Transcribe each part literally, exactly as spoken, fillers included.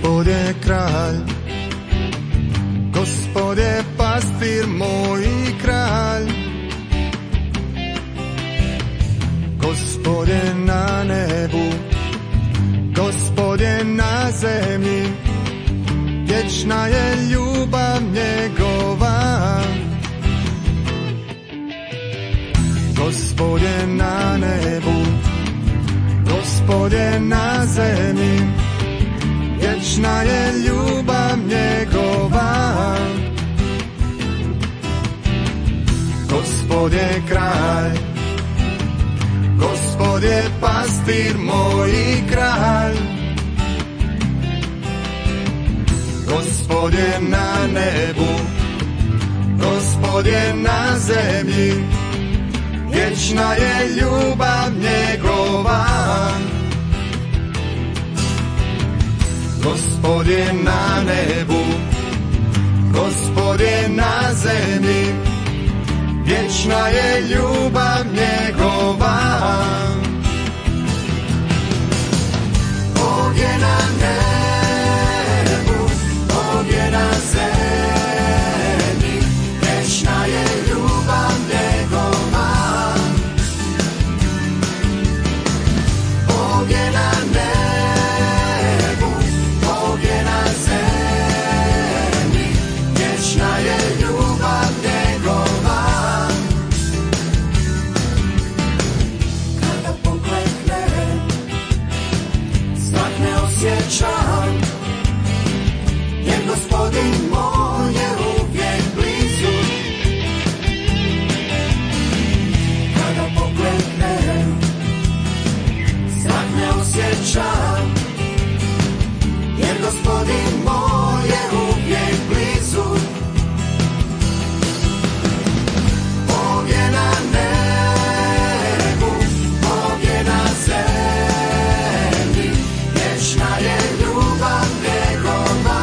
Gospod je kralj, Gospod je pastir moj i kralj. Gospod je na nebu, Gospod je na zemlji, vječna je ljubav njegova. Gospod je na nebu, Gospod je na zemlji, vječna je ljubav njegova. Gospod je kralj, Gospod je pastir moj i kralj. Gospod je na nebu, Gospod je na zemlji, vječna je ljubav njegova. Gospod je na nebu, Gospod je na zemlji, vječna je ljubav njegova. Bog je na nebu, Bog je na zemlji, vječna je ljubav njegova. Bog je na nebu, Bog je na zemlji, vječna je ljubav njegova. Kada pokleknem, strah ne osjećam, jer Gospodin moj je uvijek blizu. Kada pokleknem, strah ne osjećam, jer Gospodin moj je uvijek blizu. Bog je na nebu, Bog je na zemlji, vječna je ljubav njegova.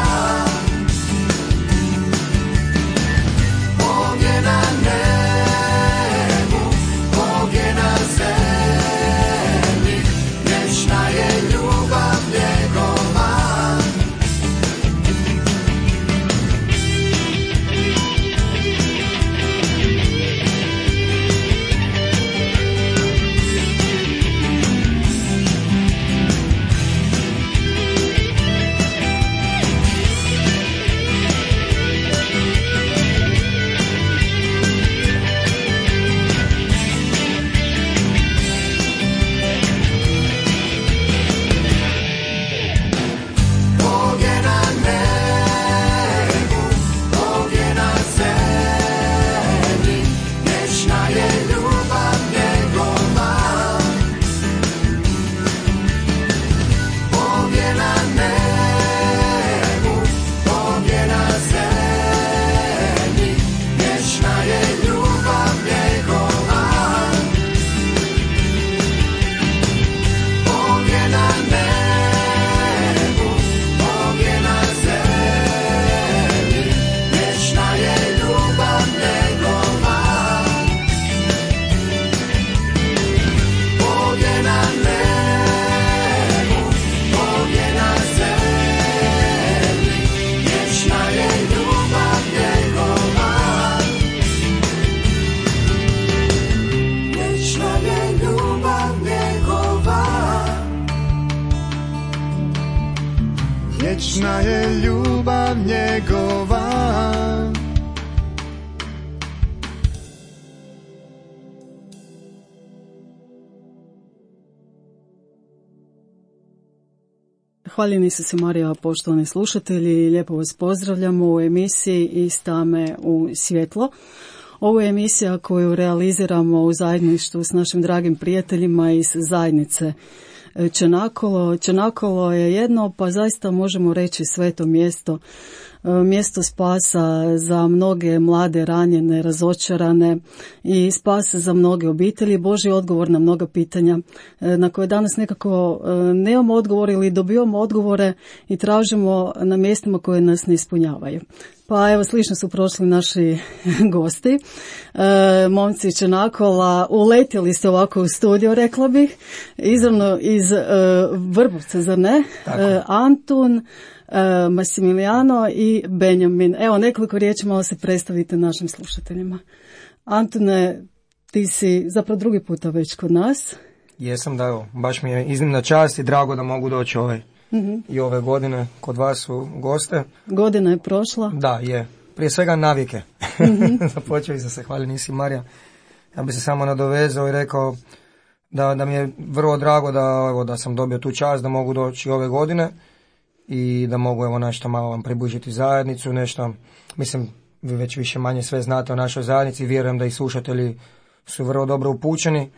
Bog je na nebu, Bog je na zemlji, vječna je ljubav njegova. Bog je na nebu, Bog je na zemlji, vječna je ljubav njegova. Bog je na nebu, Bog je na zemlji, vječna je ljubav njegova. Bog je na nebu, Bog je na zemlji, vječna je ljubav njegova. Bog je na nebu, Bog je na zemlji, vječna je ljubav njegova. Vječna je ljubav njegova. Vječna je ljubav njegova. Hvaljeni su se Marija, poštovani slušatelji, lijepo vas pozdravljamo u emisiji Iz tame u svjetlo. Ovo je emisija koju realiziramo u zajedništvu s našim dragim prijateljima iz zajednice Čenakolo. Čenakolo je jedno, pa zaista možemo reći sveto mjesto, mjesto spasa za mnoge mlade, ranjene, razočarane i spasa za mnoge obitelji, Božji odgovor na mnoga pitanja na koje danas nekako nemamo odgovor ili dobivamo odgovore i tražimo na mjestima koje nas ne ispunjavaju. Pa evo, slično su prošli naši gosti. E, momci Čenakola, uletjeli ste ovako u studio, rekla bih, izravno iz e, Vrbovca, zar ne? E, Antun, e, Massimiliano i Benjamin. Evo, nekoliko riječi, malo se predstavite našim slušateljima. Antune, ti si zapravo drugi puta već kod nas. Jesam, da, evo, baš mi je iznimna čast i drago da mogu doći ovaj, mm-hmm. i ove godine kod vas u goste. Godina je prošla. Da, je. Prije svega navike. Mm-hmm. Započeo sam se, hvali nisi Marija. Ja bi se samo nadovezao i rekao da, da mi je vrlo drago da, evo, da sam dobio tu čast da mogu doći ove godine i da mogu evo nešto malo vam približiti zajednicu, nešto, mislim, vi već više manje sve znate o našoj zajednici, vjerujem da i slušatelji su vrlo dobro upućeni,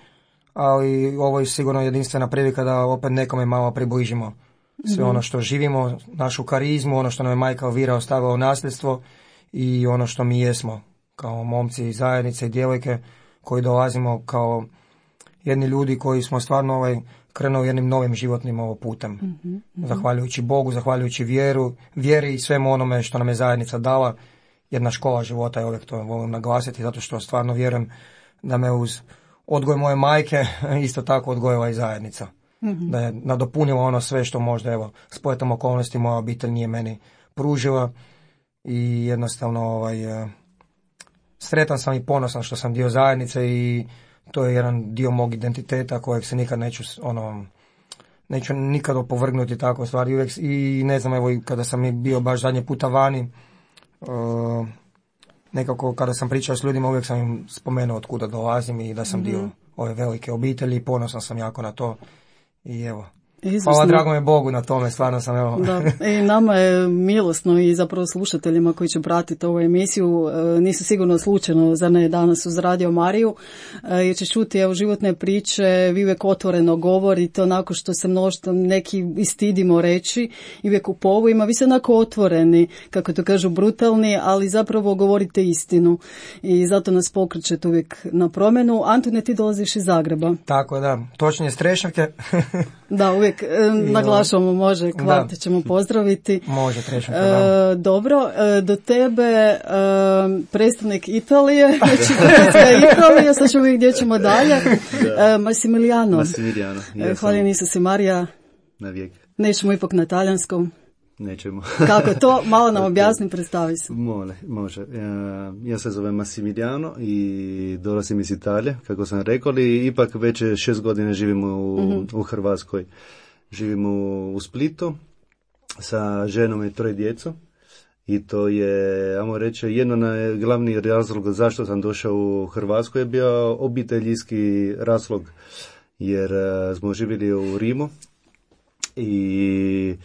ali ovo je sigurno jedinstvena prilika da opet nekome malo približimo sve mm-hmm. ono što živimo, našu karizmu, ono što nam je majka Elvira ostavila u nasljedstvo i ono što mi jesmo kao momci i zajednice i djevojke koji dolazimo kao jedni ljudi koji smo stvarno ovaj, krenuli jednim novim životnim ovo putem. Mm-hmm. Zahvaljujući Bogu, zahvaljujući vjeru, vjeri i svemu onome što nam je zajednica dala. Jedna škola života, i uvijek to volim naglasiti, zato što stvarno vjerujem da me uz odgoj moje majke isto tako odgojila i zajednica. Mm-hmm. Da je nadopunila ono sve što možda, evo, spletom okolnosti moja obitelj nije meni pružila i jednostavno ovaj, sretan sam i ponosan što sam dio zajednice i to je jedan dio mog identiteta kojeg se nikad neću, ono, neću nikad opovrgnuti tako stvari. Uvijek, i ne znam, evo, kada sam bio baš zadnje puta vani, Uh, nekako kada sam pričao s ljudima uvijek sam im spomenuo od kuda dolazim i da sam mm-hmm. dio ove velike obitelji i ponosan sam jako na to i evo. Izvrsno. Hvala drago je Bogu na tome, stvarno sam evo. Da, i nama je milosno i zapravo slušateljima koji će pratiti ovu emisiju, nisu sigurno slučajno za ne danas uz Radio Mariju, jer će čuti evo životne priče, vi uvijek otvoreno govorite onako što se mnoštvo neki istidimo reći i uvijek u povojima, vi ste onako otvoreni, kako to kažu brutalni, ali zapravo govorite istinu i zato nas pokrećete uvijek na promjenu. Antone, ti dolaziš iz Zagreba. Tako da, točnije Strešavke. Da, uvijek e, naglašamo, može, Kvarte ćemo pozdraviti. Može, Strešavke, da. E, dobro, e, do tebe e, predstavnik Italije, znači Italija, sad ćemo vidjeti gdje ćemo dalje. E, Massimiliano. Massimiliano. E, hvala nisi se Marija. Na vijek. Nećemo ipak na talijanskom. Nećemo. Kako to? Malo nam objasni, predstavi se. Mole, može. Ja, ja se zovem Massimiliano i dolazim iz Italije, kako sam rekao, ali ipak već šest godina živimo u, mm-hmm. u Hrvatskoj. Živimo u Splitu sa ženom i troje djecom i to je, ajmo reći, jedno na glavni razlog zašto sam došao u Hrvatsku je bio obiteljski razlog, jer uh, smo živjeli u Rimu i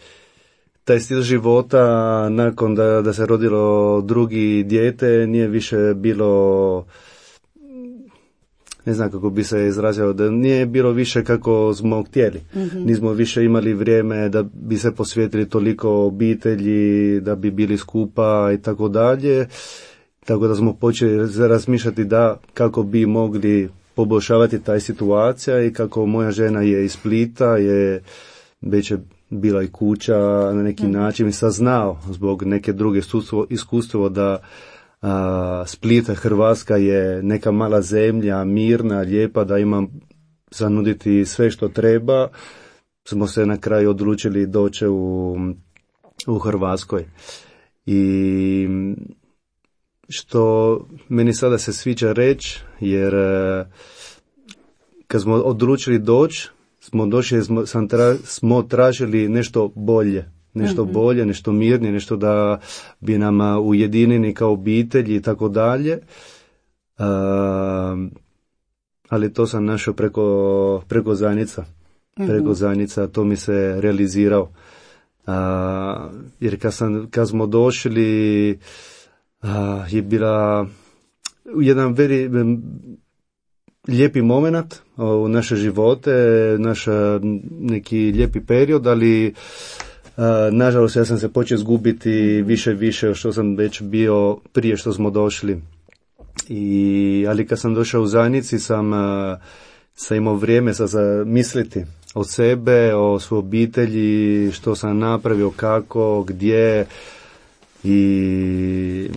taj stil života nakon da, da se rodilo drugi dijete nije više bilo, ne znam kako bi se izrazio, da nije bilo više kako smo htjeli. Mm-hmm. Nismo više imali vrijeme da bi se posvetili toliko obitelji, da bi bili skupa i tako dalje. Tako da smo počeli razmišljati da kako bi mogli poboljšavati taj situacija i kako moja žena je iz Splita, je već je bila i kuća na neki način i saznao zbog neke druge iskustvo da a, Split, Hrvatska je neka mala zemlja, mirna, lijepa, da imam zanuditi sve što treba. Smo se na kraju odlučili doći u, u Hrvatskoj. I što meni sada se sviđa reći, jer kad smo odlučili doći, smo došli, smo, sam tra, smo tražili nešto bolje, nešto mm-hmm. bolje, nešto mirnije, nešto da bi nam ujedinili kao obitelji i tako dalje. Ali to sam našao preko, preko zajednica, mm-hmm. preko zajednica, to mi se realizirao. A, jer kad, sam, kad smo došli, a, je bila jedan veri, lijepi moment u naše živote, naš neki lijepi period, ali a, nažalost ja sam se počeo izgubiti više više što sam već bio prije što smo došli. I, ali kad sam došao u zajednici sam, a, sam imao vrijeme za, za misliti o sebe, o svojoj obitelji, što sam napravio, kako, gdje. i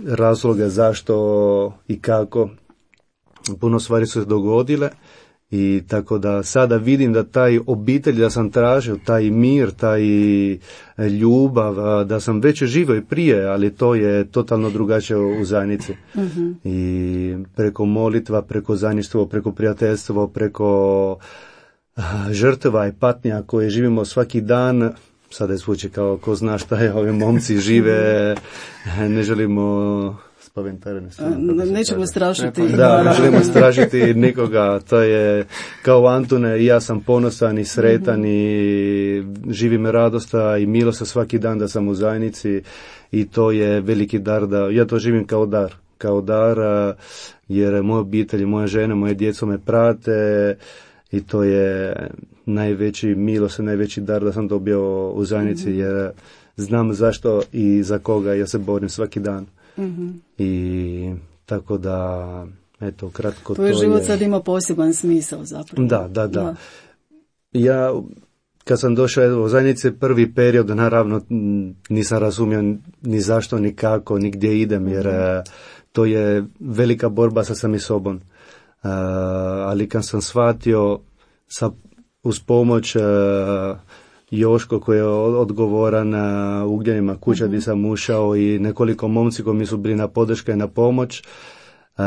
razloga zašto i kako. Puno stvari su se dogodile i tako da sada vidim da taj obitelj da sam tražio, taj mir, taj ljubav, da sam već živio i prije, ali to je totalno drugačije u zajednici. Mm-hmm. I preko molitva, preko zajedništva, preko prijateljstva, preko žrtva i patnja koje živimo svaki dan. Sada je zvuči kao ko zna šta je, ovi momci žive, ne želimo spaventare. Nećemo strašiti. Da, ne želimo strašiti nikoga, to je kao Antune, i ja sam ponosan i sretan mm-hmm. i živim radosta i milost svaki dan da sam u zajednici i to je veliki dar, da ja to živim kao dar, kao dar jer moja obitelj, moja žena, moje djeco me prate i to je najveći milost, najveći dar da sam dobio u zajednici mm-hmm. jer znam zašto i za koga ja se borim svaki dan. Mm-hmm. I tako da, eto, kratko tvoj to život je... sad ima poseban smisao zapravo. Da, da, da. da. Ja, kad sam došao u zajednici prvi period, naravno nisam razumio ni zašto, ni kako, ni gdje idem, jer mm-hmm. to je velika borba sa samim sobom. Uh, ali kad sam shvatio sa, uz pomoć uh, Joško koji je odgovoran na Ugljanima kuća uh-huh. gdje sam ušao i nekoliko momci koji mi su bili na podrška i na pomoć. Uh,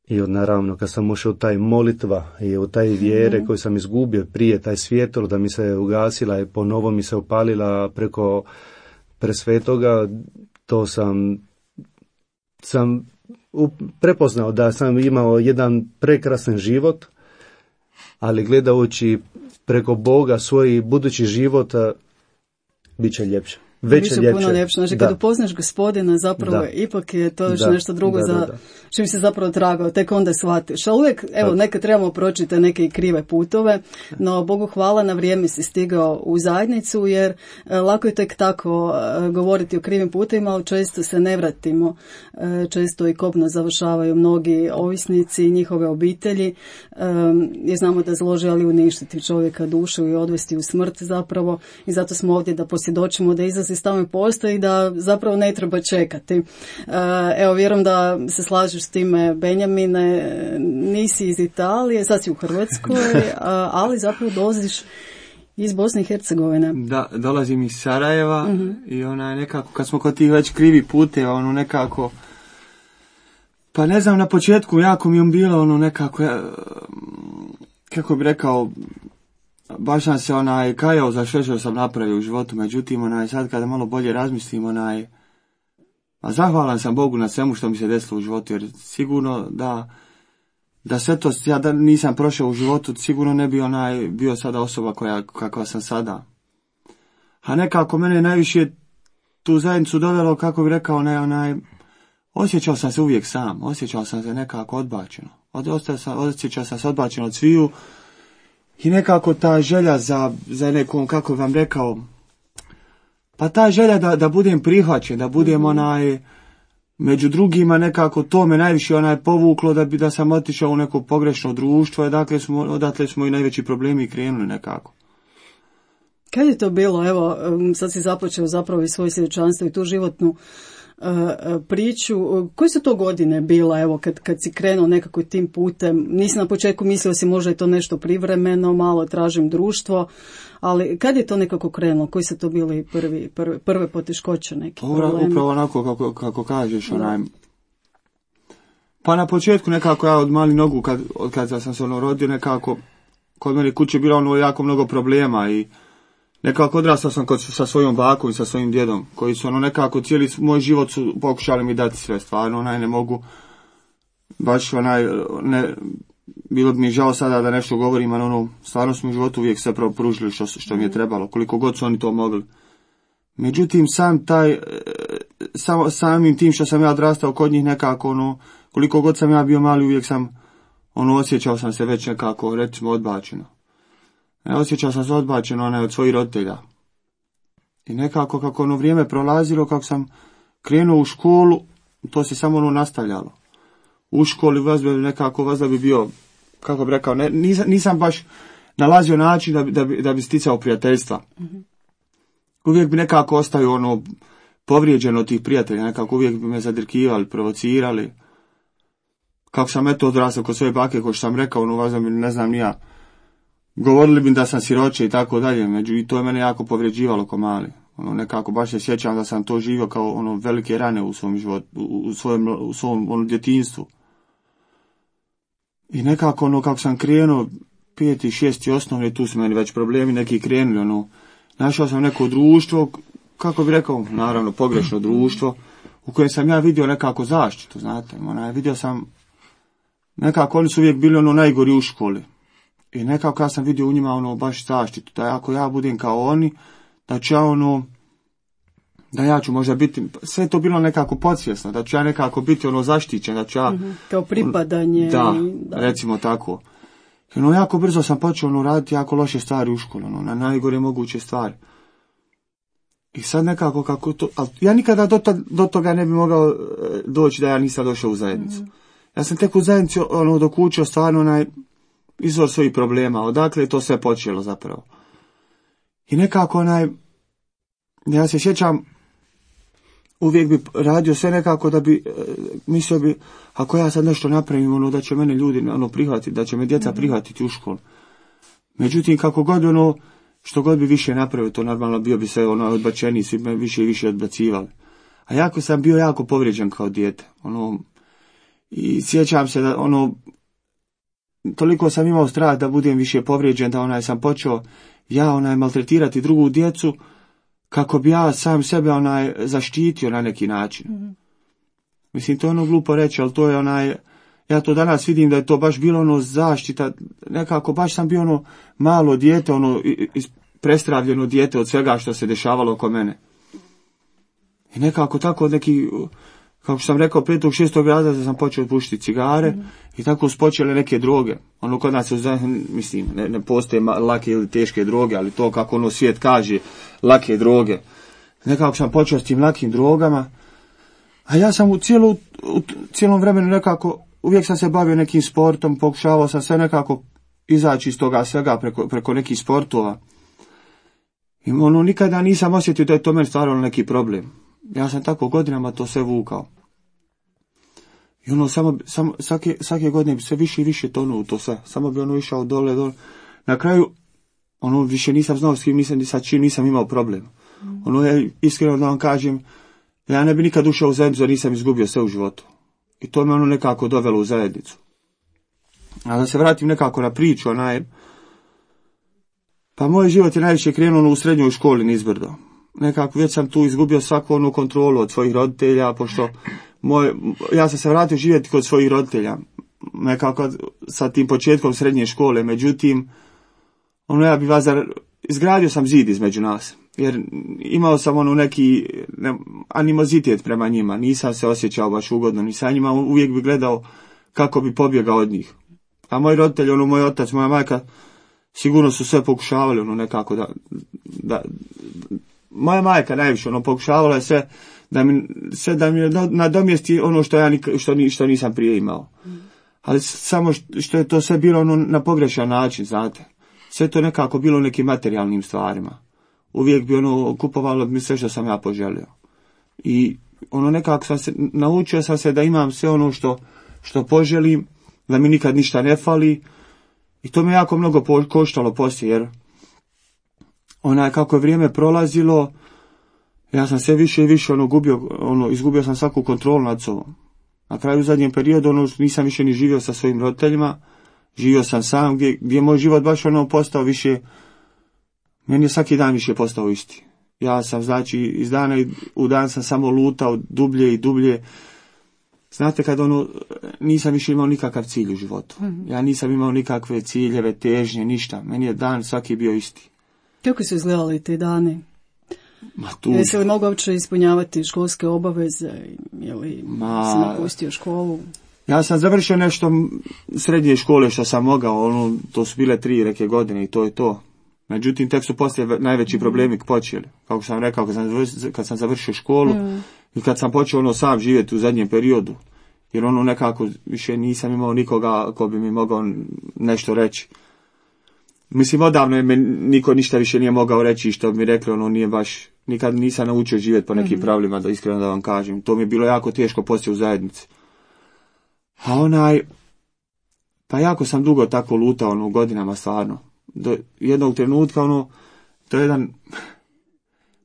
I naravno kad sam ušao u taj molitva i u taj vjere uh-huh. koju sam izgubio prije, taj svjetlo da mi se ugasila i ponovo mi se upalila preko presvetoga, to sam, sam prepoznao da sam imao jedan prekrasan život, ali gledajući preko Boga svoj budući život bit će ljepše. Već je ljepše. Puno ljepše. Znači, kad upoznaš Gospodina, zapravo da. ipak je to još da. nešto drugo da, za da, da. čim se zapravo tragao, tek onda shvatiš. A uvijek, evo, da. nekad trebamo proći te neke krive putove, no Bogu hvala, na vrijeme si stigao u zajednicu, jer e, lako je tek tako e, govoriti o krivim putovima, ali često se ne vratimo. E, često i kobno završavaju mnogi ovisnici i njihove obitelji, e, jer znamo da zlo želi uništiti čovjeka dušu i odvesti u smrt zapravo, i zato smo ovdje da posvjedočimo da izlazi tamo postoji, da zapravo ne treba čekati. Evo, vjerujem da se slažeš s time, Benjamine, nisi iz Italije, sad si u Hrvatskoj, ali zapravo dolaziš iz Bosne i Hercegovine. Da, dolazim iz Sarajeva uh-huh. i onaj nekako, kad smo kod tih već krivi puteva, ono nekako, pa ne znam, na početku jako mi je bilo ono nekako, ja, kako bi rekao, baš sam se onaj kajao za sve što sam napravio u životu, međutim onaj sad kada malo bolje razmislim, onaj, a zahvalan sam Bogu na svemu što mi se desilo u životu, jer sigurno da da sve to ja da nisam prošao u životu, sigurno ne bi onaj bio sada osoba koja kakva sam sada. A nekako mene najviše tu zajednicu dovelo, kako bi rekao, ne, onaj, osjećao sam se uvijek sam, osjećao sam se nekako odbačeno, od, sam, osjećao sam se odbačeno od sviju. I nekako ta želja za, za nekom, kako vam rekao, pa ta želja da, da budem prihvaćen, da budem onaj, među drugima, nekako to me najviše onaj povuklo da bi da sam otišao u neko pogrešno društvo, dakle smo, odatle smo i najveći problemi krenuli nekako. Kad je to bilo, evo, sad si započeo zapravo i svoje svjedočanstvo i tu životnu Uh, priču, koje su to godine bila, evo, kad, kad si krenuo nekako tim putem? Nisi na početku mislio si možda je to nešto privremeno, malo tražim društvo, ali kad je to nekako krenulo? Koji su to bili prvi, prve, prve poteškoće neki Ura, problemi? Upravo onako kako, kako kažeš, onaj, pa na početku nekako ja od mali nogu, kad, od kada sam se ono rodio, nekako kod mene kuće bilo ono jako mnogo problema i nekako odrastao sam kod, sa svojom bakom i sa svojim djedom, koji su ono nekako cijeli moj život su pokušali mi dati sve, stvarno onaj ne mogu, baš onaj, ne, bilo bi mi žao sada da nešto govorim, ali ono, stvarno smo u životu uvijek sve pružili što, što mi je trebalo, koliko god su oni to mogli. Međutim, sam taj, sam, samim tim što sam ja odrastao kod njih nekako, ono, koliko god sam ja bio mali, uvijek sam, ono, osjećao sam se već nekako, recimo, odbačeno. Ne, osjećao sam se odbačeno onaj od svojih roditelja. I nekako kako ono vrijeme prolazilo, kako sam krenuo u školu, to se samo ono nastavljalo. U školi vas bi nekako, vas da bi bio, kako bi rekao, ne, nisam, nisam baš nalazio način da bi, da bi, da bi sticao prijateljstva. Mm-hmm. uvijek bi nekako ostaju ono povrijeđeno od tih prijatelja, nekako uvijek bi me zadrkivali, provocirali. Kako sam eto odrastao kod svoje bake, ko što sam rekao, ono važno mi ne znam ni ja. Govorili bi da sam siroče i tako dalje, među i to je mene jako povrijeđivalo ko mali. Ono nekako baš se sjećam da sam to živio kao ono velike rane u svom životu, u, u svojem u svom ono djetinjstvu. I nekako ono kako sam krenuo peti, šesti osnovni, tu su meni već problemi neki krenuli, ono našao sam neko društvo, kako bi rekao, naravno pogrešno društvo, u kojem sam ja vidio nekako zaštitu, znate, onaj, vidio sam, nekako oni su uvijek bili ono najgori u školi. I nekako ja sam vidio u njima ono baš zaštitu, da ako ja budem kao oni, da ću ja ono, da ja ću možda biti, sve to bilo nekako podsvjesno, da ću ja nekako biti ono zaštićen, da ću ja... Mm-hmm. Kao pripadanje. Da, i, da, recimo tako. I ono, jako brzo sam počeo ono raditi jako loše stvari u školu, ono, na najgore moguće stvari. I sad nekako kako to, ali ja nikada do, to, do toga ne bi mogao doći da ja nisam došao u zajednicu. Mm-hmm. Ja sam tek u zajednicu ono dok učio stvarno onaj izvor svojih problema, odakle je to sve počelo zapravo. I nekako onaj, ja se sjećam, uvijek bi radio sve nekako da bi, mislio bi, ako ja sad nešto napravim, ono, da će mene ljudi ono prihvatiti, da će me djeca prihvatiti u školu. Međutim, kako god ono, što god bi više napravio, to normalno bio bi sve ono odbačeni, svi me više i više odbacivali. A jako sam bio jako povrijeđen kao dijete, ono, i sjećam se da ono, toliko sam imao strah da budem više povrijeđen, da onaj sam počeo ja onaj maltretirati drugu djecu, kako bi ja sam sebe onaj zaštitio na neki način. Mm-hmm. Mislim, to je ono glupo reći, ali to je onaj, ja to danas vidim da je to baš bilo ono zaštita, nekako baš sam bio ono malo dijete, ono prestravljeno dijete od svega što se dešavalo oko mene. I nekako tako neki, kako sam rekao, petog, šestog razreda sam počeo pušiti cigare, mm-hmm. i tako su počele neke droge. Ono kod nas, mislim, ne, ne postoje lake ili teške droge, ali to kako ono svijet kaže, lake droge. Nekako sam počeo s tim lakim drogama, a ja sam u, cijelu, u cijelom vremenu nekako, uvijek sam se bavio nekim sportom, pokušavao sam sve nekako izaći iz toga svega preko, preko nekih sportova. I ono, nikada nisam osjetio da je to meni stvarno neki problem. Ja sam tako godinama to sve vukao. I ono, samo, samo svake, svake godine bi sve više i više tonuo u to sve. Samo bi ono išao dole, dole. Na kraju, ono, više nisam znao s kim nisam, sa čim nisam imao problem. Mm. Ono, ja iskreno da vam kažem, ja ne bi nikad ušao u zajednicu, da nisam izgubio sve u životu. I to me ono nekako dovelo u zajednicu. A da se vratim nekako na priču, onaj, pa moj život je najviše krenuo u srednjoj školi nizbrdo. Nekako već sam tu izgubio svaku onu kontrolu od svojih roditelja, pošto moj, ja sam se vratio živjeti kod svojih roditelja, nekako sa tim početkom srednje škole, međutim, ono ja bi vas, izgradio sam zid između nas, jer imao sam ono neki ne, animozitet prema njima, nisam se osjećao baš ugodno, ni sa njima, uvijek bi gledao kako bi pobjegao od njih. A moji roditelji, ono moj otac, moja majka, sigurno su sve pokušavali, ono nekako da, da moja majka najviše, ono, pokušavala je sve da mi, sve da mi nadomjesti ono što ja nik, što, ni, što nisam prije imao. Mm. Ali samo što je to sve bilo ono na pogrešan način, znate. Sve to nekako bilo nekim materijalnim stvarima. Uvijek bi ono kupovalo mi sve što sam ja poželio. I ono nekako sam se, naučio sam se da imam sve ono što, što poželim, da mi nikad ništa ne fali. I to me jako mnogo koštalo poslije, jer onaj kako je vrijeme prolazilo, ja sam sve više i više ono gubio, ono izgubio sam svaku kontrolu nad sobom. Na kraju u zadnjem periodu ono nisam više ni živio sa svojim roditeljima, živio sam sam, gdje, gdje je moj život baš ono postao više, meni je svaki dan više postao isti. Ja sam znači iz dana u dan sam samo lutao dublje i dublje. Znate kad ono, nisam više imao nikakav cilj u životu. Mm-hmm. Ja nisam imao nikakve ciljeve, težnje, ništa. Meni je dan svaki bio isti. Kako su izgledali te dane? Ma tu... Jesi li mogao uopće ispunjavati školske obaveze? Ili Ma... si napustio školu? Ja sam završio nešto srednje škole što sam mogao, ono, to su bile tri neke godine i to je to. Međutim, tek su poslije najveći problemi počeli. Kako sam rekao, kad sam završio, kad sam završio školu mm. i kad sam počeo ono sam živjeti u zadnjem periodu. Jer ono nekako više nisam imao nikoga ko bi mi mogao nešto reći. Mislim, odavno je me niko ništa više nije mogao reći što bi mi rekli, ono nije baš nikad nisam naučio živjeti po nekim mm-hmm. pravilima, da iskreno da vam kažem. To mi je bilo jako teško poslije u zajednici. A onaj, pa jako sam dugo tako lutao, ono, u godinama stvarno. Do jednog trenutka, ono, to je jedan,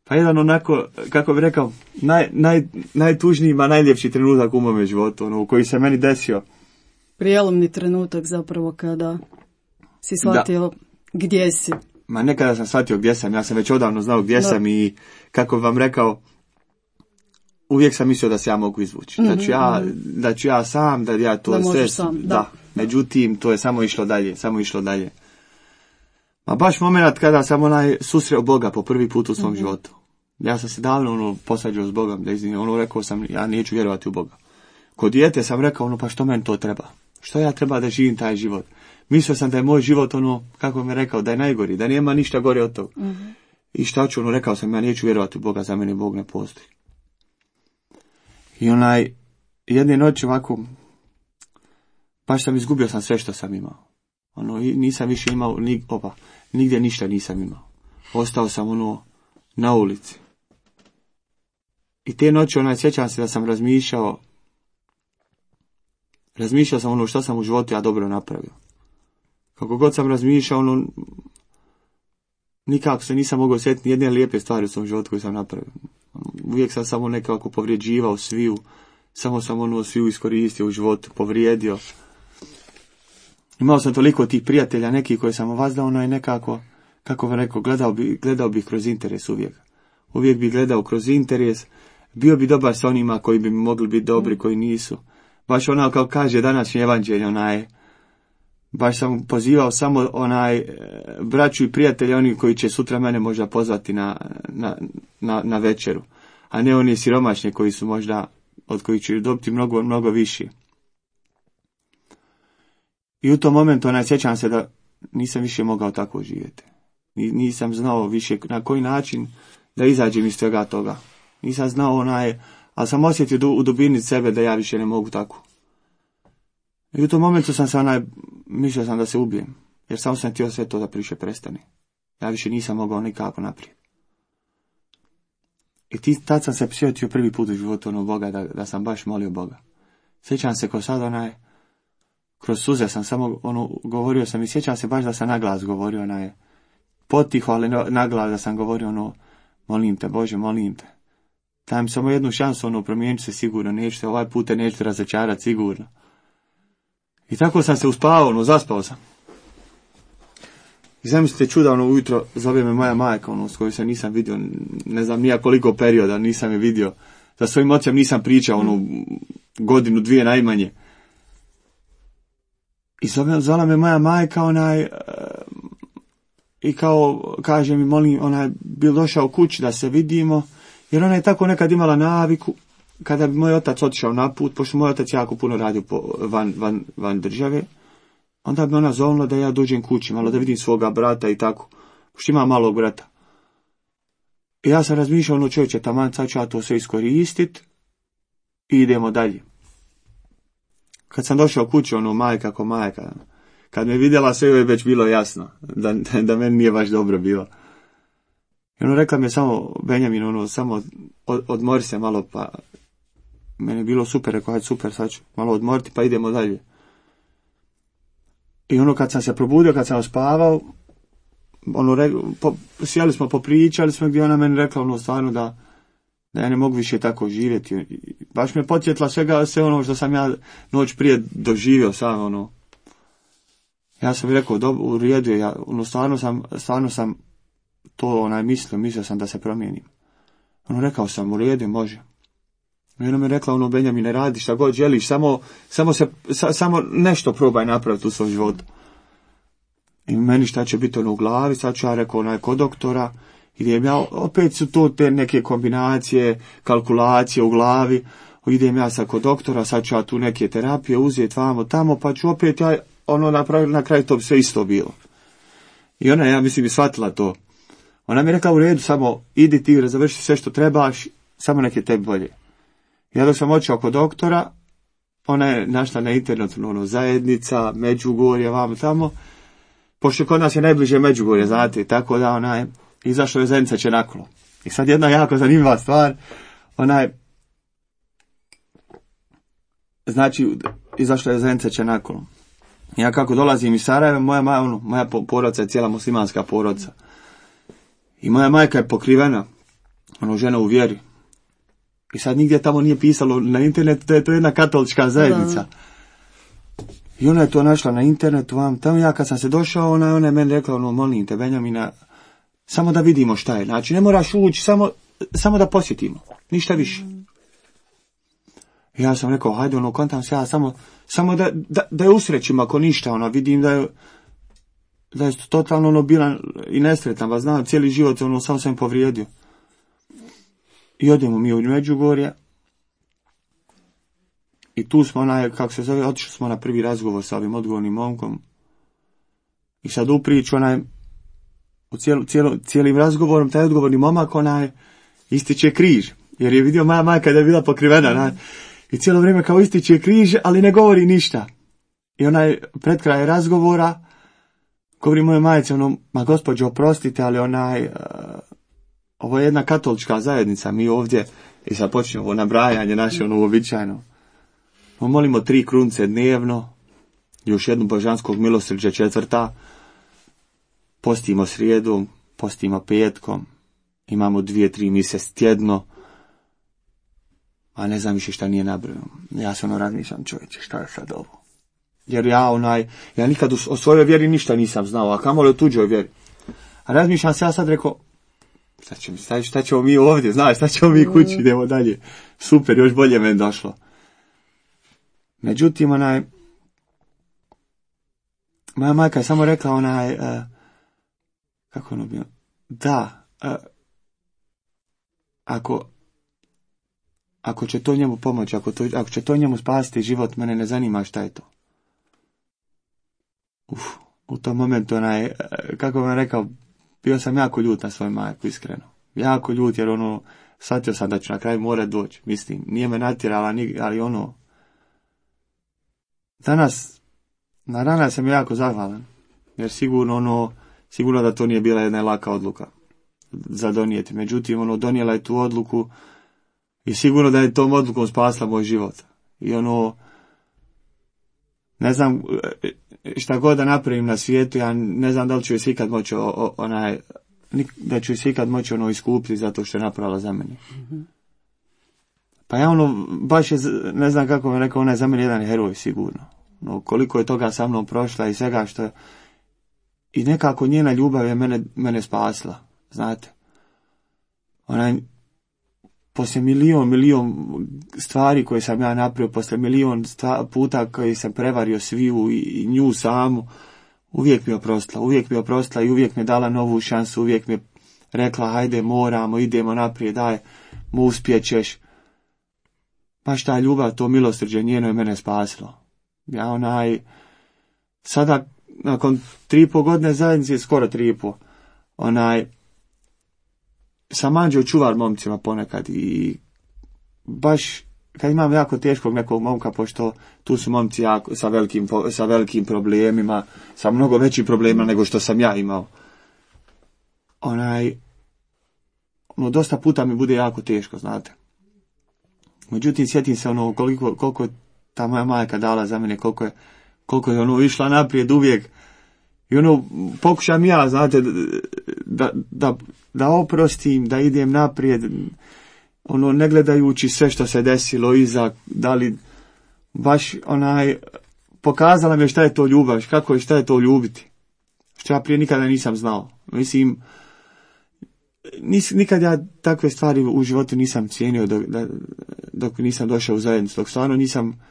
pa jedan onako, kako bi rekao, naj, naj, najtužniji, ma najljepši trenutak u mome životu, ono, u koji se meni desio. Prijelomni trenutak zapravo kada si shvatio da. Gdje si. Ma nekada sam shvatio gdje sam, ja sam već odavno znao gdje da. sam i kako bi vam rekao, uvijek sam mislio da se ja mogu izvući. Mm-hmm. Da ću ja, da ću ja sam, da ja to da sve... Sam, da. da. Međutim, to je samo išlo dalje, samo išlo dalje. Ma baš moment kada sam onaj susreo Boga po prvi put u svom mm-hmm. životu. Ja sam se davno ono posađao s Bogom, da izvinim, ono rekao sam, ja neću vjerovati u Boga. Kod dijete sam rekao, ono, pa što meni to treba? Što ja treba da živim taj život? Mislio sam da je moj život, ono, kako mi je rekao, da je najgori, da nema ništa gore od toga. Mm-hmm. I šta ću, ono, rekao sam, ja neću vjerovati u Boga, za mene Bog ne postoji. I onaj, jedne noći ovako, baš sam izgubio sam sve što sam imao. Ono, nisam više imao, ni, opa, nigdje ništa nisam imao. Ostao sam, ono, na ulici. I te noći, onaj, sjećam se da sam razmišljao, razmišljao sam ono što sam u životu ja dobro napravio. Kako god sam razmišljao, ono, nikako se nisam mogao sjetiti jedne lijepe stvari u svom životu koju sam napravio. Uvijek sam samo nekako povrijeđivao sviju, samo sam ono sviju iskoristio u životu, povrijedio. Imao sam toliko tih prijatelja, neki koji sam ovazdao, ono je nekako, kako vam rekao, gledao bi, gledao bih kroz interes uvijek. Uvijek bi gledao kroz interes, bio bi dobar sa onima koji bi mogli biti dobri, koji nisu. Baš ono kao kaže današnji evanđelje, onaj, baš sam pozivao samo onaj braću i prijatelje, oni koji će sutra mene možda pozvati na, na, na, na večeru, a ne oni siromašni koji su možda, od kojih će dobiti mnogo, mnogo više. I u tom momentu onaj, sjećam se da nisam više mogao tako živjeti. Nisam znao više na koji način da izađem iz svega toga. Nisam znao onaj, ali sam osjetio u dubini sebe da ja više ne mogu tako. I u tom momentu sam se onaj, mislio sam da se ubijem, jer samo sam htio sve to da priše prestane. Ja više nisam mogao nikako naprijed. I ti, tad sam se sjetio prvi put u životu ono Boga, da, da sam baš molio Boga. Sjećam se ko sad onaj, kroz suze sam samo ono, govorio sam i sjećam se baš da sam naglas govorio onaj, potiho, ali naglas da sam govorio ono, molim te Bože, molim te. Daj mi samo jednu šansu, ono, promijeniti se sigurno, nećete, ovaj put te nećete razočarati sigurno. I tako sam se uspavao, ono, zaspao sam. I zamislite čuda, ono, ujutro zove me moja majka, ono, s kojoj se nisam vidio, ne znam nija koliko perioda nisam je vidio. Sa svojim ocem nisam pričao, ono, godinu, dvije najmanje. I zove, zvala me moja majka, onaj, i kao, kaže mi, molim, onaj, bil došao kući da se vidimo, jer ona je tako nekad imala naviku, kada bi moj otac otišao na put, pošto moj otac jako puno radio po, van, van, van države, onda bi ona zovnula da ja dođem kući, malo da vidim svoga brata i tako, pošto ima malog brata. I ja sam razmišljao, ono čovječe, taman sad ću ja to sve iskoristit i idemo dalje. Kad sam došao kući, ono, majka ko majka, kad me vidjela, sve je već bilo jasno, da, da meni nije baš dobro bilo. I ono rekla mi je samo, Benjamin, ono, samo od, odmori se malo, pa meni je bilo super, rekao, hajde super, sad ću malo odmoriti, pa idemo dalje. I ono, kad sam se probudio, kad sam spavao, ono, re, po, sjeli smo, popričali smo, gdje ona meni rekla, ono, stvarno da, da ja ne mogu više tako živjeti. I baš me podsjetila svega, sve ono što sam ja noć prije doživio sam, ono. Ja sam rekao, dobro, u redu, ja, ono, stvarno sam, stvarno sam to onaj mislio, mislio sam da se promijenim. Ono, rekao sam, u redu, može. I ona mi je rekla, ono, Benjamin, ne radi šta god želiš, samo, samo, se, sa, samo nešto probaj napraviti u svom životu. I meni šta će biti ono u glavi, sad ću ja rekao, onaj, kod doktora, idem ja, opet su to te neke kombinacije, kalkulacije u glavi, idem ja sad kod doktora, sad ću ja tu neke terapije uzeti vamo tamo, pa ću opet ja, ono, napraviti, na kraju to bi sve isto bilo. I ona, ja mislim, bi shvatila to. Ona mi je rekla, u redu, samo idi ti, završi sve što trebaš, samo nek je tebi bolje. Ja dok sam otišao kod doktora, ona je našla na internetu, ono, zajednica, Međugorje, vamo tamo, pošto kod nas je najbliže Međugorje, znate, tako da ona je, izašla je zajednica Čenaklo. I sad jedna jako zanimljiva stvar, onaj, znači, izašla je Zence Čenakolo. Ja kako dolazim iz Sarajeva, moja, moja, ono, moja porodica je cijela muslimanska porodica. I moja majka je pokrivena, ono, žena u vjeri. I sad nigdje tamo nije pisalo na internetu, to je to jedna katolička zajednica. Da. I ona je to našla na internetu, vam, tamo ja kad sam se došao, ona, ona je meni rekla, ono, molim te, Benjamina, samo da vidimo šta je. Znači, ne moraš ući, samo, samo da posjetimo, ništa više. I ja sam rekao, hajde, ono, kontam se ja, samo, samo da, da, da je usrećim, ako ništa, ono, vidim da je, da je totalno, ono, bilan i nesretan, vas znam, cijeli život, ono, samo sam povrijedio. I odemo mi u Međugorje. I tu smo, onaj, kako se zove, otišli smo na prvi razgovor sa ovim odgovornim momkom. I sad u priču, onaj, u cijelu, cijelu, cijelim razgovorom, taj odgovorni momak, onaj, ističe križ. Jer je vidio moja majka da je bila pokrivena, onaj. I cijelo vrijeme kao ističe križ, ali ne govori ništa. I onaj, pred kraj razgovora, govori moje majice, ono, ma gospođo, oprostite, ali onaj, uh, ovo je jedna katolička zajednica, mi ovdje, i sad počnemo ovo nabrajanje naše, ono, uobičajeno. Molimo tri krunce dnevno, još jednu božanskog milosrđa četvrta, postimo srijedom, postimo petkom, imamo dvije, tri mise tjedno, a ne znam više šta nije nabrojeno. Ja se ono razmišljam, čovječe, šta je sad ovo? Jer ja onaj, ja nikad o svojoj vjeri ništa nisam znao, a kamoli o tuđoj vjeri. A razmišljam se, ja sad rekao, šta ćemo, šta, šta ćemo mi ovdje, znaš, šta ćemo mi kući, idemo dalje. Super, još bolje meni došlo. Međutim, onaj, moja majka je samo rekla, onaj, uh, kako ono bio, da, uh, ako, ako će to njemu pomoći, ako, to, ako će to njemu spasiti život, mene ne zanima šta je to. Uf, u tom momentu, onaj, uh, kako vam rekao, bio sam jako ljut na svoju majku, iskreno. Jako ljut, jer ono, shvatio sam da ću na kraju morat doći, mislim, nije me natjerala, ali ono, danas, na danas sam jako zahvalan, jer sigurno ono, sigurno da to nije bila jedna laka odluka za donijeti. Međutim, ono, donijela je tu odluku i sigurno da je tom odlukom spasla moj život. I ono, ne znam šta god da napravim na svijetu, ja ne znam da li ću joj se ikad moći onaj, da ću joj se ikad moći ono iskupiti zato što je napravila za mene. Mm-hmm. Pa ja ono, baš je, ne znam kako mi rekao, ona je za mene jedan heroj, sigurno. No, koliko je toga sa mnom prošla i svega što je, i nekako njena ljubav je mene, mene spasla, znate. Ona, poslije milion, milion stvari koje sam ja napravio, poslije milion stva, puta koje sam prevario sviju i, i nju samu, uvijek mi je oprostila, uvijek mi je oprostila i uvijek mi je dala novu šansu, uvijek mi je rekla, hajde, moramo, idemo naprijed, daj, mu uspjećeš. Baš ta ljubav, to milosrđe njeno je mene spasilo. Ja onaj, sada, nakon tri i po godine zajednice, skoro tri i po, onaj, sam anđeo čuvar momcima ponekad i baš, kad imam jako teškog nekog momka, pošto tu su momci jako, sa, velikim, sa velikim problemima, sa mnogo većim problemima nego što sam ja imao. Onaj, ono, dosta puta mi bude jako teško, znate. Međutim, sjetim se ono koliko, koliko je ta moja majka dala za mene, koliko je, koliko je ono išla naprijed uvijek. I ono, pokušam ja, znate, da, da, da oprostim, da idem naprijed, ono, ne gledajući sve što se desilo iza, da li baš onaj, pokazala mi je šta je to ljubav, kako je, šta je to ljubiti. Što ja prije nikada nisam znao. Mislim, nis, nikad ja takve stvari u životu nisam cijenio dok, da, dok nisam došao u zajednicu, dok stvarno nisam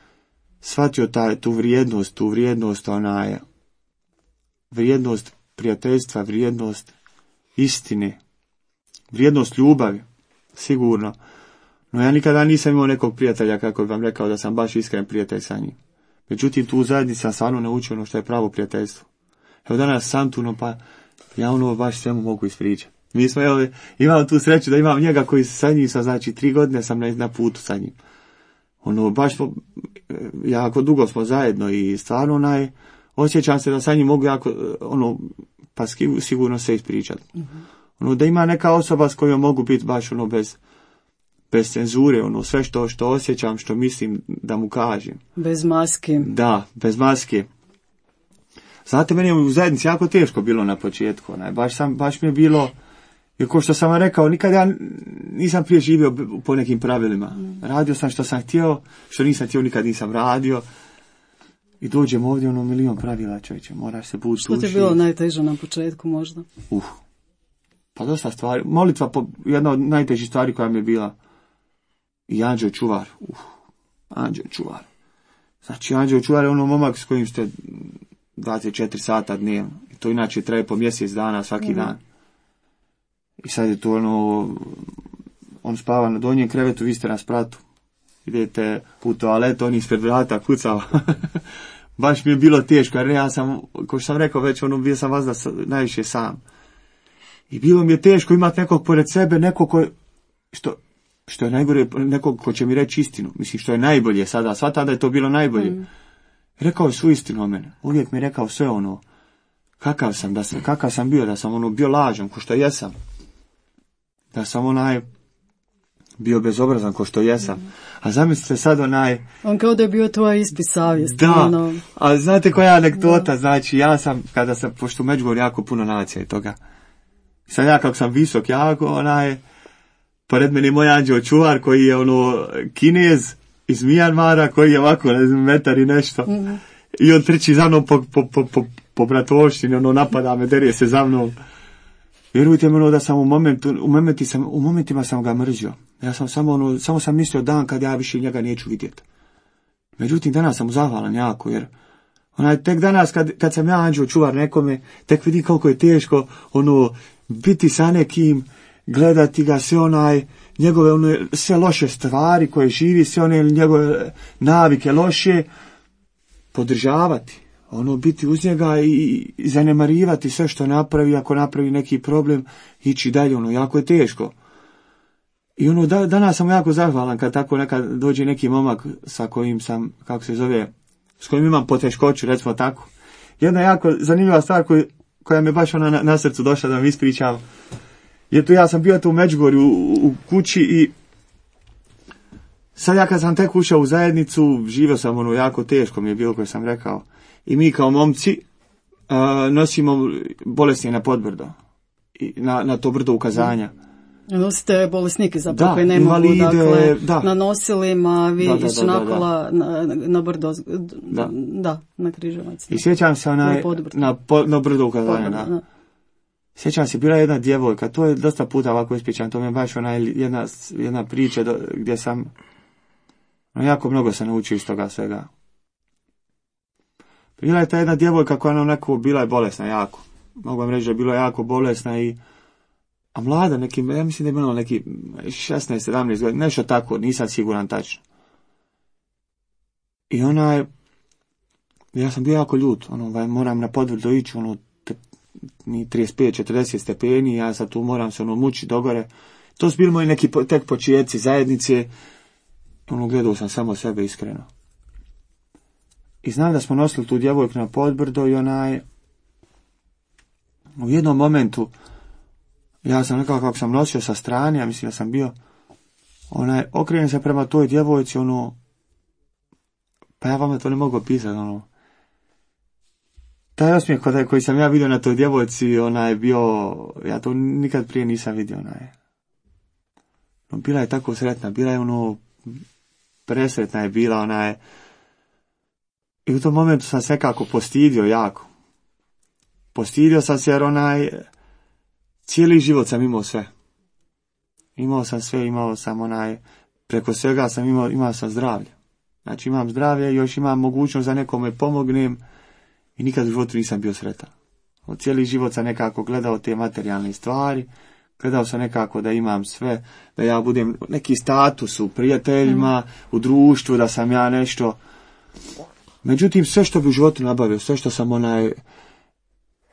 shvatio taj, tu vrijednost, tu vrijednost, onaj, vrijednost prijateljstva, vrijednost istine, vrijednost ljubavi, sigurno. No ja nikada nisam imao nekog prijatelja, kako bih vam rekao, da sam baš iskren prijatelj sa njim. Međutim, tu u zajednici sam stvarno naučio ono što je pravo prijateljstvo. Evo danas sam tu, no pa ja ono baš svemu mogu ispričati. Mi smo, evo, imam tu sreću da imam njega koji sa njim sam, znači, tri godine sam na, na putu sa njim. Ono, baš smo, jako dugo smo zajedno i stvarno onaj, osjećam se da sa njim mogu jako, ono, pa sigurno se ispričati. Mm-hmm. Ono, da ima neka osoba s kojom mogu biti baš ono bez, bez cenzure, ono, sve što, što osjećam, što mislim da mu kažem. Bez maske. Da, bez maske. Znate, meni je u zajednici jako teško bilo na početku, onaj, baš, sam, baš mi je bilo, jer ko što sam vam rekao, nikad ja nisam prije živio po nekim pravilima. Radio sam što sam htio, što nisam htio, nikad nisam radio. I dođem ovdje, ono, milion pravila, čovječe, moraš se bući. Što ti je bilo najteže na početku možda? Uh, pa dosta stvari. Molitva, po, jedna od najtežih stvari koja mi je bila. I anđeo čuvar. Uh, anđeo čuvar. Znači, anđeo čuvar je ono momak s kojim ste dvadeset četiri sata dnevno. I to inače traje po mjesec dana, svaki mm. dan. I sad je to ono, on spava na donjem krevetu, vi ste na spratu. Idete u toaletu, on ispred vrata kucava. Baš mi je bilo teško, jer ja sam, kao što sam rekao već, ono, bio sam vazda najviše sam. I bilo mi je teško imati nekog pored sebe, nekog ko, što, što je najgore, nekog ko će mi reći istinu. Mislim, što je najbolje sada, sva tada je to bilo najbolje. Mm. Rekao je svu istinu o mene. Uvijek mi je rekao sve ono, kakav sam, da sam, kakav sam bio, da sam ono bio lažan, ko što jesam. Da sam onaj bio bezobrazan ko što jesam. Mm. A zamislite sad onaj... On kao da je bio tvoja ispit savjesti. Da, ono... a znate koja anegdota, da. Znači ja sam, kada sam, pošto u Međugorju jako puno nacija i toga, sad ja kako sam visok jako, onaj, pored meni moj anđeo čuvar koji je ono Kinez iz Mijanmara, koji je ovako, ne znam, metar i nešto. Mm. I on trči za mnom po, po, po, po, po bratovštini, ono napada me, derije se za mnom. Vjerujte mi ono da sam u momentu, u, momenti sam, u momentima sam ga mrzio. Ja sam samo ono, samo sam mislio dan kad ja više njega neću vidjeti. Međutim, danas sam mu zahvalan jako, jer onaj, tek danas kad, kad sam ja anđeo čuvar nekome, tek vidim koliko je teško ono, biti sa nekim, gledati ga, sve onaj, njegove ono, sve loše stvari koje živi, sve one njegove navike loše, podržavati. Ono, biti uz njega i, i zanemarivati sve što napravi, ako napravi neki problem, ići dalje, ono, jako je teško. I ono, da, danas sam jako zahvalan kad tako nekad dođe neki momak sa kojim sam, kako se zove, s kojim imam poteškoću, recimo tako. Jedna jako zanimljiva stvar koju, koja me baš ona na, na srcu došla da vam ispričam, jer tu ja sam bio tu u Međugorju u, u kući i sad ja kad sam tek ušao u zajednicu, živio sam ono jako teško mi je bilo koje sam rekao. I mi kao momci uh, nosimo bolesti na podbrdo, i na, na to brdo ukazanja. Nosite bolesnike zapravo da, koji ne mogu, dakle, da. na nosilima, vi da, da, ići da, da, nakola na, na brdo, da. da, na Križevac. I sjećam se onaj, na, po, na brdo ukazanja, da. da. Sjećam se, bila jedna djevojka, to je dosta puta ovako ispričam, to mi je baš ona jedna, jedna priča do, gdje sam, no, jako mnogo sam naučio iz toga svega. Bila je ta jedna djevojka koja ona onako bila je bolesna jako. Mogu vam reći da je bila jako bolesna i a mlada, neki, ja mislim da je bilo neki šesnaest sedamnaest godina, nešto tako, nisam siguran tačno. I ona je, ja sam bio jako ljut, ono, moram na podvrdo ići, ono, te, ni trideset pet četrdeset stepeni, ja sad tu moram se ono mući dogore. To su bili moji neki po, tek početci zajednice, ono, gledao sam samo sebe iskreno. I znam da smo nosili tu djevojku na podbrdo i onaj, u jednom momentu, ja sam nekako kako sam nosio sa strane, ja mislim da sam bio, onaj, okrenem se prema toj djevojci, ono, pa ja vama to ne mogu opisati, ono, taj osmijeh koji, koji sam ja vidio na toj djevojci, ona je bio, ja to nikad prije nisam vidio, onaj, no, bila je tako sretna, bila je ono, presretna je bila, ona je, i u tom momentu sam se nekako postidio jako. Postidio sam se jer onaj, cijeli život sam imao sve. Imao sam sve, imao sam onaj, preko svega sam imao, imao sam zdravlje. Znači imam zdravlje, još imam mogućnost da nekome pomognem i nikad u životu nisam bio sretan. Od cijeli život sam nekako gledao te materijalne stvari, gledao sam nekako da imam sve, da ja budem neki status u prijateljima, mm. u društvu, da sam ja nešto. Međutim, sve što bi u životu nabavio, sve što sam onaj,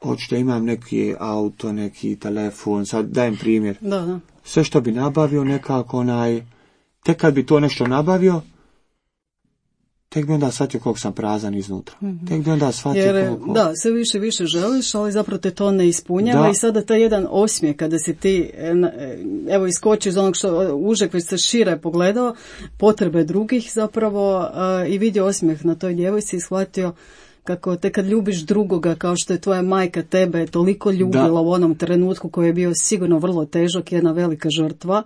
hoćete imam neki auto, neki telefon, sad dajem primjer. Da, da. Sve što bi nabavio nekako onaj, tek kad bi to nešto nabavio, tek bi onda shvatio koliko sam prazan iznutra. Mm-hmm. Tek bi onda shvatio Jer, koliko... da, sve više više želiš, ali zapravo te to ne ispunjava. Da. I sada taj jedan osmijeh kada si ti, evo, iskoči iz onog što užeg već se šire pogledao, potrebe drugih zapravo, uh, i vidio osmijeh na toj djevojci i shvatio kako te kad ljubiš drugoga kao što je tvoja majka tebe toliko ljubila da. U onom trenutku koji je bio sigurno vrlo težak, jedna velika žrtva,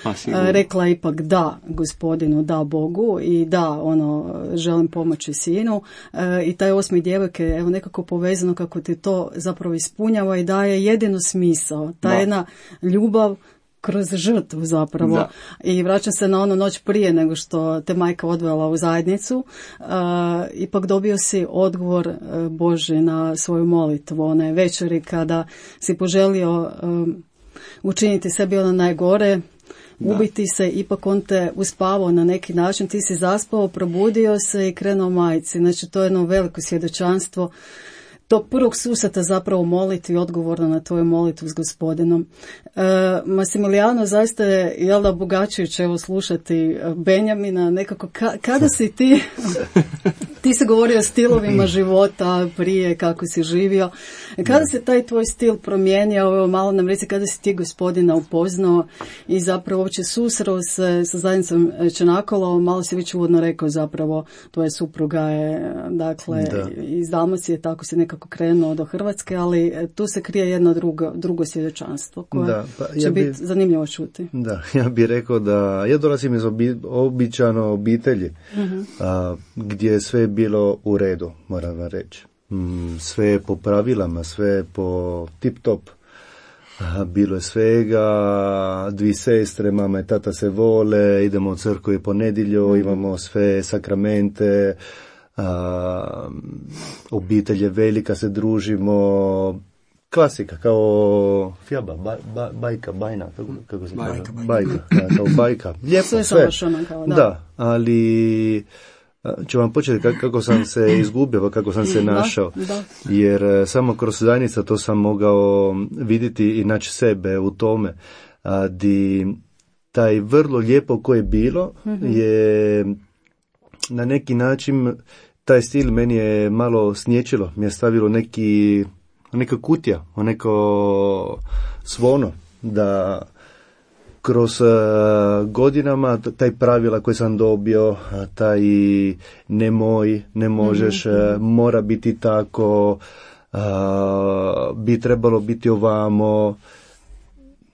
pa, rekla ipak da Gospodinu, da Bogu i da, ono, želim pomoći sinu, e, i taj osmi djevojke, evo, nekako povezano kako ti to zapravo ispunjava i daje jedino smisao, ta da. Jedna ljubav kroz žrtvu zapravo. Da. I vraćam se na onu noć prije nego što te majka odvela u zajednicu, uh, ipak dobio si odgovor uh, Božji na svoju molitvu, one večeri kada si poželio um, učiniti sebi ono najgore, da. Ubiti se, ipak on te uspavao na neki način, ti si zaspao, probudio se i krenuo majci. Znači to je jedno veliko svjedočanstvo tog prvog susreta zapravo molitvi, odgovorno na tvoju molitvu s Gospodinom. E, Massimiliano, zaista je, jel da, obogaćujuće evo slušati Benjamina, nekako, ka, kada si ti, ti si govorio o stilovima života prije, kako si živio, kada se taj tvoj stil promijenio, evo malo nam reci, kada si ti Gospodina upoznao i zapravo uopće susreo se sa zajednicom Čenakola, malo si već uvodno rekao zapravo, tvoja supruga je, dakle, da. Iz Dalmacije, tako si nekako krenuo do Hrvatske, ali tu se krije jedno drugo, drugo svjedočanstvo koje da, pa ja će bi, biti zanimljivo čuti. Da, ja bih rekao da ja dolazim iz obi, običano obitelji, uh-huh. a, gdje je sve bilo u redu, moram vam reći. Mm, sve je po pravilama, sve je po tip-top. A, bilo je svega, dvi sestre, mama i tata se vole, idemo u crkvu i po nedjelju, uh-huh. imamo sve sakramente, a, obitelj je velika, se družimo, klasika, kao fjaba, ba, ba, bajka, bajna, kako, kako se bajka, bajka, bajka, da, kao bajka, lijepo sve, sve. Kao, da. Da, ali ću vam početi kako sam se izgubio, kako sam se našao, da, da. Jer samo kroz zajednica to sam mogao vidjeti i naći sebe u tome, a, di taj vrlo lijepo koje je bilo, mm-hmm. je na neki način taj stil meni je malo snječilo, mi je stavilo neki, neka kutija, neko svono, da kroz uh, godinama taj pravila koje sam dobio, taj nemoj, ne možeš, mm-hmm. uh, mora biti tako, uh, bi trebalo biti ovamo.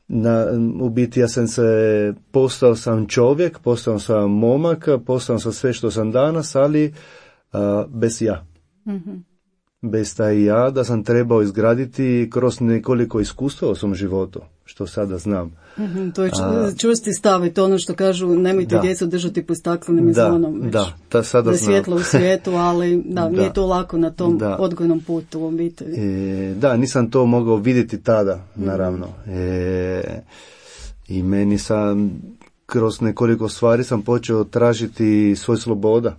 Na, u biti ja sam se, postao sam čovjek, postao sam momak, postao sam sve što sam danas, ali uh, bez ja. Mm-hmm. Bez taj ja, da sam trebao izgraditi kroz nekoliko iskustva u svom životu, što sada znam. Mm-hmm, to je čvrsti stav, to ono što kažu, nemojte djecu držati pod staklenim zvonom. Već. Da, da, sada da svjetlo u svijetu, ali da, da, nije to lako na tom da. Odgojnom putu u obitelji. E, da, nisam to mogao vidjeti tada, naravno. E, I meni sam, kroz nekoliko stvari sam počeo tražiti svoj sloboda.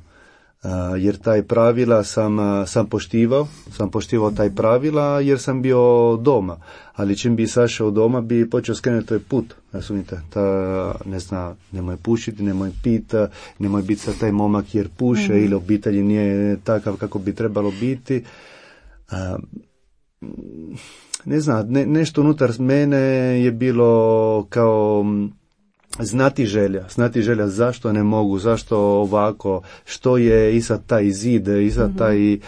Uh, jer taj pravila sam, uh, sam poštivao, sam poštivao taj pravila jer sam bio doma, ali čim bi sašao doma bi počeo skrenuti taj put, razumite, ta, ne zna, nemoj pušiti, nemoj piti, nemoj biti sa taj momak jer puše mm. ili obitelji nije takav kako bi trebalo biti. Uh, ne znam, ne, nešto unutar mene je bilo kao znati želja, znati želja zašto ne mogu, zašto ovako, što je iza taj zid, iza mm-hmm. taj uh,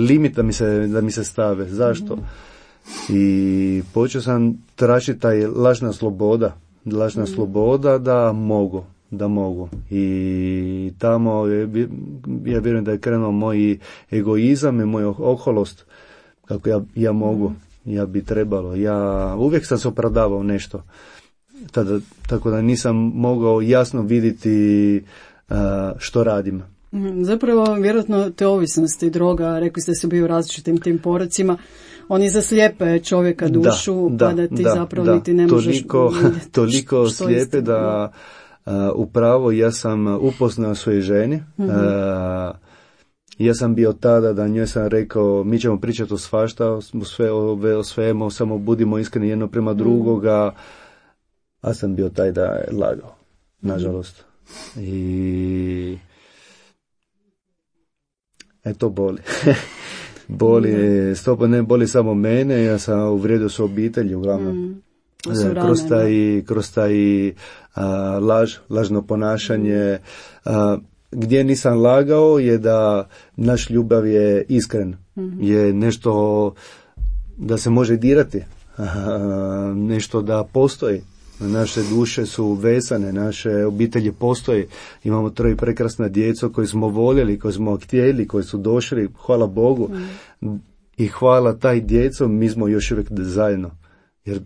limit da mi se, da mi se stave, zašto. Mm-hmm. I počeo sam tražiti taj lažna sloboda, lažna mm-hmm. sloboda da mogu, da mogu. I tamo je, ja vjerujem da je krenuo moj egoizam i moj oholost, kako ja, ja mogu, mm-hmm. ja bi trebalo, ja uvijek sam se opravdavao nešto. Tada, tako da nisam mogao jasno vidjeti uh, što radim. Zapravo, vjerojatno te ovisnosti, droga, rekli ste su bio u različitim tim porocima, oni zaslijepe čovjeka dušu, da, pa da ti da, zapravo da, niti ne možeš toliko, vidjeti toliko što slijepe da uh, upravo ja sam upoznao svoje ženi. Mm-hmm. Uh, ja sam bio tada da njoj sam rekao, mi ćemo pričati o svašta, o, sve, o, o svemu, samo budimo iskreni jedno prema mm-hmm. drugoga. A sam bio taj da je lagao, nažalost. I E to boli. Boli, mm. stopa ne boli samo mene, ja sam uvrijedio su obitelji uglavnom. Mm. Kroz taj, kroz taj a, laž, lažno ponašanje. A, gdje nisam lagao je da naš ljubav je iskren. Mm-hmm. Je nešto da se može dirati. A, nešto da postoji. Naše duše su vezane, naše obitelji postoje. Imamo troje prekrasna djeco koje smo voljeli, koje smo htjeli, koji su došli, hvala Bogu. Mm. I hvala taj djeco, mi smo još uvijek zajedno. Jer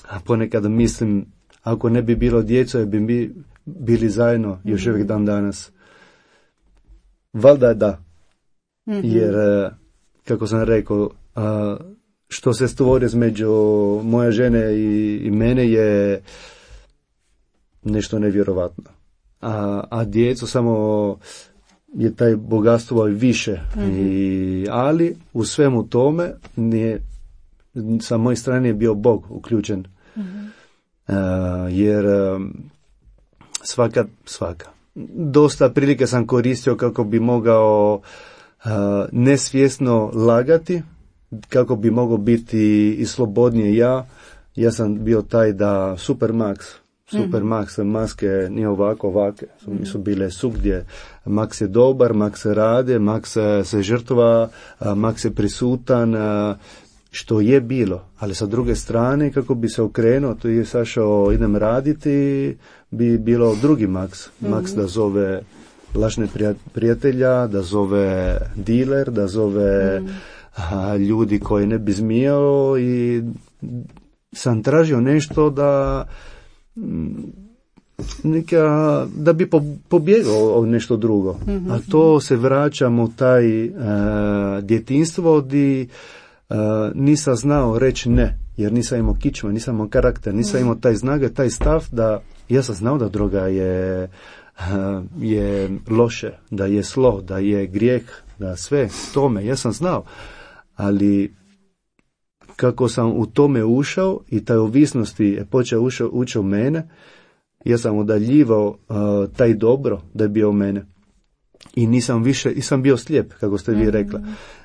a ponekad mislim, ako ne bi bilo djeco, bi mi bili zajedno još uvijek dan danas. Valjda da. Mm-hmm. Jer, kako sam rekao, a, što se stvori između moje žene i, i mene je nešto nevjerovatno. A, a djeco samo je taj bogatstvo više. Mm-hmm. I, ali u svemu tome nije, sa moje strane je bio Bog uključen. Mm-hmm. Uh, jer uh, svaka, svaka. Dosta prilike sam koristio kako bi mogao uh, nesvjesno lagati, kako bi mogao biti i slobodnije ja. Ja sam bio taj da Supermax, Supermax, mm-hmm. maske nije ovako, ovake. Mm-hmm. Su bile svugdje. Max je dobar, Max se rade, Max se žrtva, Max je prisutan, što je bilo. Ali sa druge strane, kako bi se okrenuo, to je sašao, idem raditi, bi bilo drugi Max. Mm-hmm. Max da zove lažne prijatelja, da zove dealer, da zove mm-hmm. a, ljudi koji ne bi smijao i sam tražio nešto da neka, da bi po, pobjegao od nešto drugo. Mm-hmm. A to se vraćamo u taj uh, djetinstvo gdje uh, nisam znao reći ne, jer nisam imao kičma, nisam imao karakter, nisam imao taj snage, taj stav da ja sam znao da droga je, uh, je loše, da je zlo, da je grijeh, da sve tome, ja sam znao. Ali kako sam u tome ušao i taj ovisnosti je počeo ušao, učio mene, ja sam udaljivao uh, taj dobro da je bio mene. I nisam više, i sam bio slijep, kako ste vi rekla.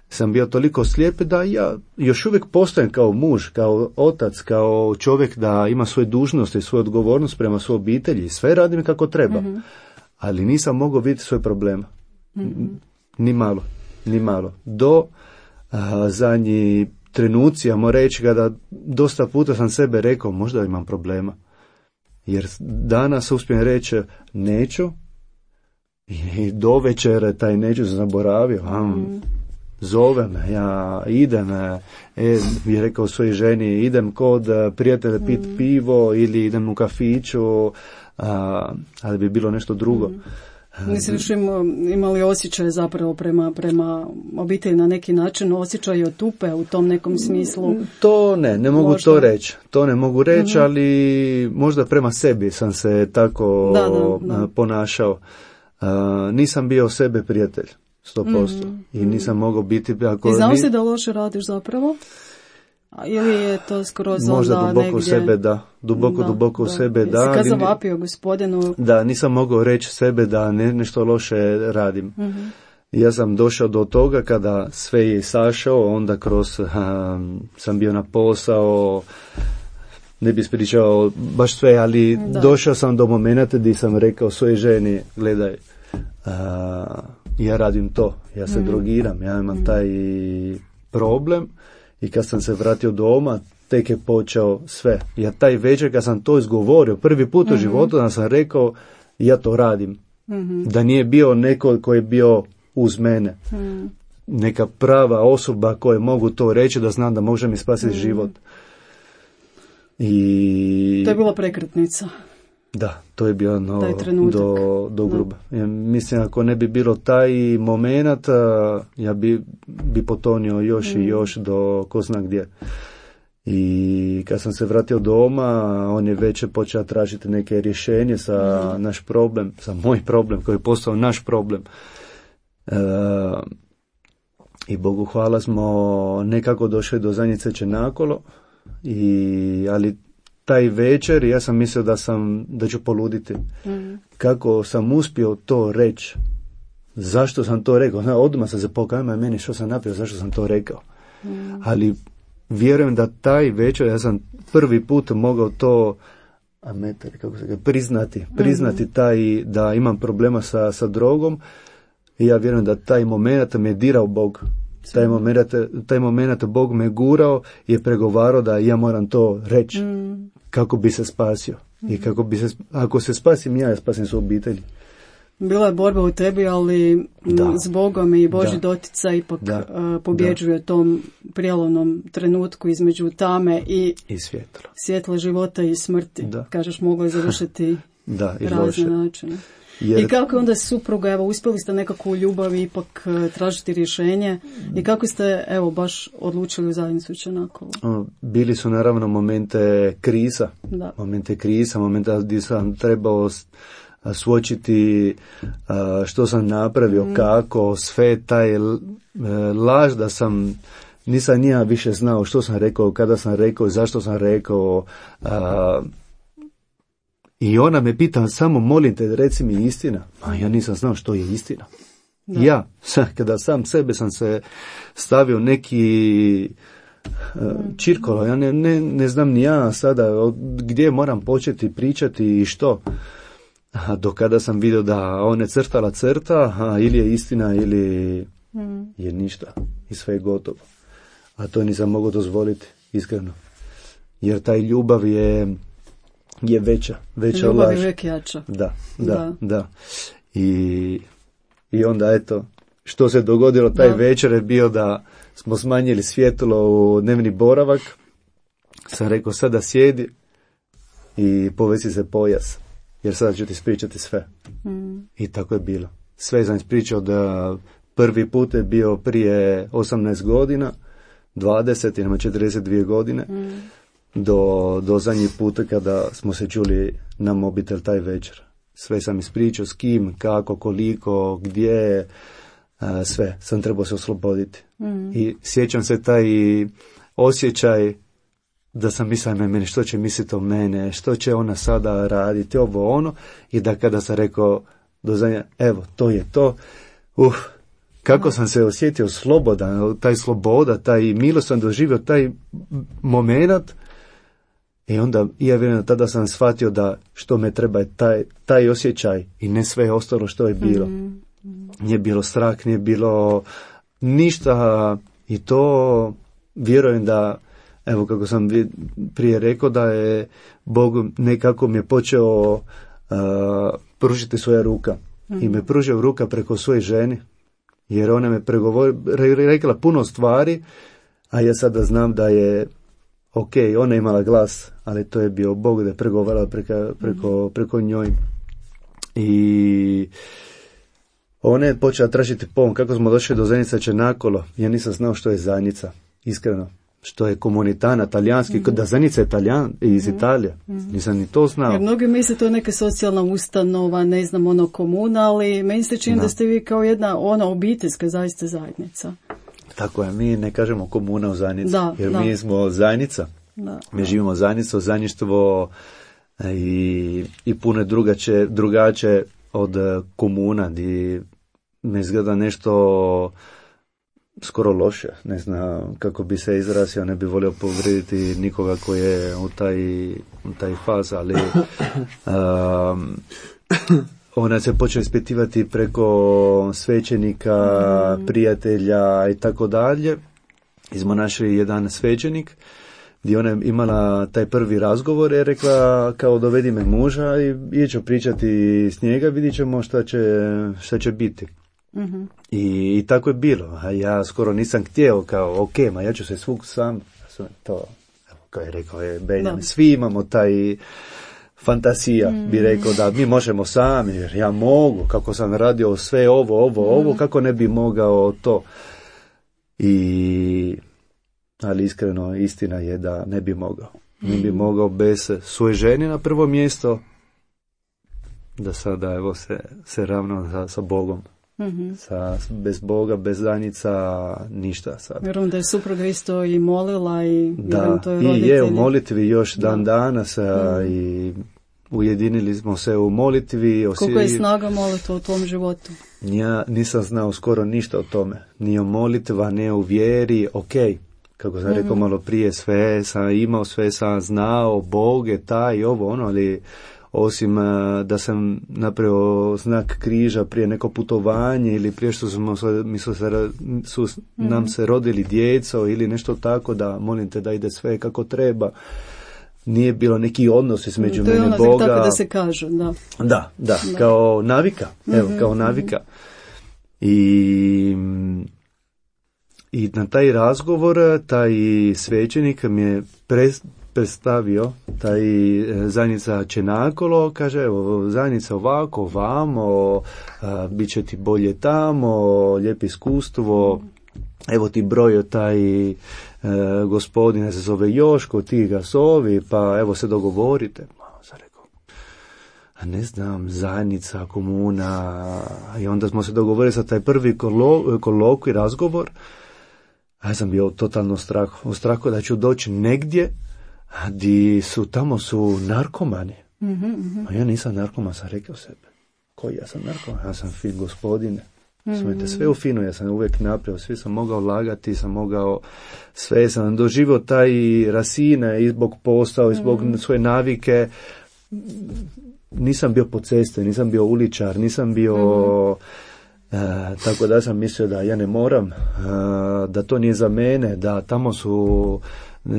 Sam bio toliko slijep da ja još uvijek postojem kao muž, kao otac, kao čovjek da ima svoje dužnosti i svoju odgovornost prema svojoj obitelji. Sve radim kako treba. Mm-hmm. Ali nisam mogao vidjeti svoje problema. Mm-hmm. Ni malo, ni malo. Do uh, zadnji trenuci, ja moram reći, kada dosta puta sam sebe rekao, možda imam problema. Jer danas uspijem reći, neću, i do večere taj neću sam zaboravio, a, mm. zove me, ja idem, e, bi rekao svojoj ženi, idem kod prijatelja pit mm. pivo ili idem u kafiću, a, ali bi bilo nešto drugo. Mm. Nisi više imali osjećaj zapravo prema, prema obitelji na neki način, osjećaj od tupe u tom nekom smislu? To ne, ne mogu možda to reći. To ne mogu reći, mm-hmm. ali možda prema sebi sam se tako da, da, da. ponašao. Uh, nisam bio sebe prijatelj, sto posto. Mm-hmm. I nisam mogao biti... Ako I znao ni... si da loše radiš zapravo? Ili je to skroz možda onda duboko negdje... u sebe, da. Duboko, da, duboko da. u sebe, da. Jesi kad zavapio gospodinu? Da, nisam mogao reći sebe da ne, nešto loše radim. Mm-hmm. Ja sam došao do toga kada sve je sašao, onda kroz um, sam bio na posao, ne bi ispričao baš sve, ali da. Došao sam do momenta gdje sam rekao svojoj ženi, gledaj, uh, ja radim to, ja se mm-hmm. drogiram, ja imam mm-hmm. taj problem. I kad sam se vratio doma, tek je počeo sve. Ja taj večer kad sam to izgovorio, prvi put mm-hmm. u životu da sam rekao, ja to radim. Mm-hmm. Da nije bio neko koji je bio uz mene. Mm-hmm. Neka prava osoba koja mogu to reći da znam da može mi spasiti mm-hmm. život. I... To je bila prekretnica. Da, to je bio no, do, do gruba. Ja mislim, ako ne bi bilo taj moment, ja bi, bi potonio još mm. i još do ko zna gdje. I kad sam se vratio doma, on je već počeo tražiti neke rješenje sa mm. naš problem, sa moj problem koji je postao naš problem. E, I Bogu hvala smo nekako došli do zadnje ceče nakolo, i, ali taj večer ja sam mislio da sam da ću poluditi. Mm. Kako sam uspio to reći zašto sam to rekao, zna, odmah sam se pokajao meni što sam napravio, zašto sam to rekao. Mm. Ali vjerujem da taj večer, ja sam prvi put mogao to a metar, kako se ga, priznati, priznati mm-hmm. taj, da imam problema sa, sa drogom i ja vjerujem da taj moment me dirao Bog. Taj moment, taj moment Bog me gurao i je pregovarao da ja moram to reći mm. kako bi se spasio. Mm. I kako bi se, ako se spasim ja, ja spasim svoju obitelj. Bila je borba u tebi, ali da. s Bogom i Božji da. doticaj ipak da. uh, pobjeđuje da. tom prijelomnom trenutku između tame i, I svjetla. svjetla života i smrti. Da. Kažeš, moglo je završiti da, i razne loše. načine. Jer... I kako onda supruga, evo, uspjeli ste nekako u ljubavi ipak uh, tražiti rješenje i kako ste, evo, baš odlučili u zajednicu Čenakova? Bili su naravno momente kriza, da. momente kriza, momente gdje sam trebao suočiti što sam napravio, mm. kako, sve taj laž da sam, nisam nija više znao što sam rekao, kada sam rekao, zašto sam rekao. A, I ona me pita, samo molim te, reci mi istina. A ja nisam znao što je istina. Da. Ja, kada sam sebe sam se stavio neki čirkolo, ja ne, ne, ne znam ni ja sada gdje moram početi pričati i što. A do kada sam vidio da ona je crtala crta, a ili je istina ili mm. je ništa i sve je gotovo. A to nisam mogao dozvoliti, iskreno. Jer taj ljubav je, je veća, veća ljubav laž. je uvijek jača. Da, da, da. da. I, I onda eto, što se dogodilo taj da. večer je bio da smo smanjili svjetlo u dnevni boravak. Sam rekao, sada sjedi i povesi se pojas. Jer sada ću ti ispričati sve. Mm. I tako je bilo. Sve sam ispričao da prvi put je bio prije osamnaest godina, dvadeset ili četrdeset dvije godine, mm. do, do zadnji puta kada smo se čuli na mobitel taj večer. Sve sam ispričao s kim, kako, koliko, gdje, a, sve. Sam trebao se osloboditi. Mm. I sjećam se taj osjećaj da sam mislio na meni, što će misliti o mene, što će ona sada raditi, ovo ono, i da kada sam rekao do zadnja, evo, to je to, uf, kako sam se osjetio slobodan, taj sloboda, taj milost sam doživio, taj moment, i onda, ja vjerujem, tada sam shvatio da što me treba je taj, taj osjećaj i ne sve ostalo što je bilo. Mm. Nije bilo strah, nije bilo ništa, i to vjerujem da, evo kako sam prije rekao, da je Bog nekako mi je počeo uh, pružiti svoja ruka. Mm-hmm. I me pružio ruka preko svoje žene, jer ona me pregovor, re, rekla puno stvari, a ja sada znam da je ok, ona je imala glas, ali to je bio Bog da je pregovarala preko, preko, mm-hmm. preko njoj. I ona je počela tražiti pomoć. Kako smo došli do zajednice Čenakolo, ja nisam znao što je zajednica, iskreno. Što je komunitana, talijanski, mm-hmm. da zajednica je Italijan, iz mm-hmm. Italije. Mm-hmm. Nisam ni to znao. Jer mnogi misle to je neka socijalna ustanova, ne znam, ono komuna, ali meni se čini da. da ste vi kao jedna ona obiteljska zaista zajednica. Tako je, mi ne kažemo komuna u zajednici, da, jer da. mi smo zajednica. Da, mi da. živimo zajednicu, zajedništvo i, i puno drugače, drugače od komuna, gdje ne izgleda nešto skoro loše, ne znam kako bi se izrazio, ne bi volio povrediti nikoga koji je u taj, u taj faz, ali um, ona se počela ispitivati preko svećenika, mm. prijatelja i tako dalje. I smo našli jedan svećenik gdje ona je imala taj prvi razgovor i rekla kao dovedi me muža i ću pričati s njega, vidit ćemo šta će, šta će biti. Mm-hmm. I, I tako je bilo, a ja skoro nisam htio kao ok, ma ja ću se svuk sam, to, kao je rekao je Benjamin, svi imamo taj fantasija, mm-hmm. bi rekao da mi možemo sami, jer ja mogu, kako sam radio sve ovo, ovo, mm-hmm. ovo, kako ne bi mogao to. I, ali iskreno istina je da ne bi mogao, ne bi mogao bez svoje žene na prvo mjesto, da sada evo se, se ravno sa, sa Bogom. Mm-hmm. Sa, bez Boga, bez zajednica, ništa sad. Vjerujem da je supruga isto i molila i da, to je i je u molitvi još dan da. danas mm. i ujedinili smo se u molitvi. Osi... Koliko je snaga molitva u tvom životu? Ja nisam znao skoro ništa o tome. Ni o molitva, ne o vjeri, ok. Kako sam mm-hmm. rekao malo prije, sve sam imao, sve sam znao, Bog je taj, ovo, ono, ali osim uh, da sam napravio znak križa prije neko putovanje ili prije što smo, mi su, se, su mm-hmm. nam se rodili djeco ili nešto tako, da molim te da ide sve kako treba. Nije bilo neki odnos između mene i Boga. To je ono tako da se kaže, da. Da, da, da. Kao navika, evo, mm-hmm. kao navika. I... I na taj razgovor, taj svećenik mi je pre, predstavio, taj zajednica Čenakolo, kaže, evo, zajednica ovako, vamo, a, bit će ti bolje tamo, lijepo iskustvo, evo ti broj taj e, gospodine se zove Joško, ti ga zovi, pa evo se dogovorite. Sam rekao, a ne znam, zajednica, komuna, i onda smo se dogovorili za taj prvi kolo, kolokvij, razgovor. A ja sam bio totalno strah, u strahu da ću doći negdje gdje su, tamo su narkomani. Mm-hmm. A ja nisam narkoman, sam rekao sebe. Koji ja sam narkoman? Ja sam fin gospodine. Mm-hmm. Sve u finu, ja sam uvijek napravio, svi sam mogao lagati, sam mogao, sve sam doživio taj rasine i zbog posao, i zbog mm-hmm. svoje navike. Nisam bio po ceste, nisam bio uličar, nisam bio... Mm-hmm. E, tako da sam mislio da ja ne moram, e, da to nije za mene, da tamo su e,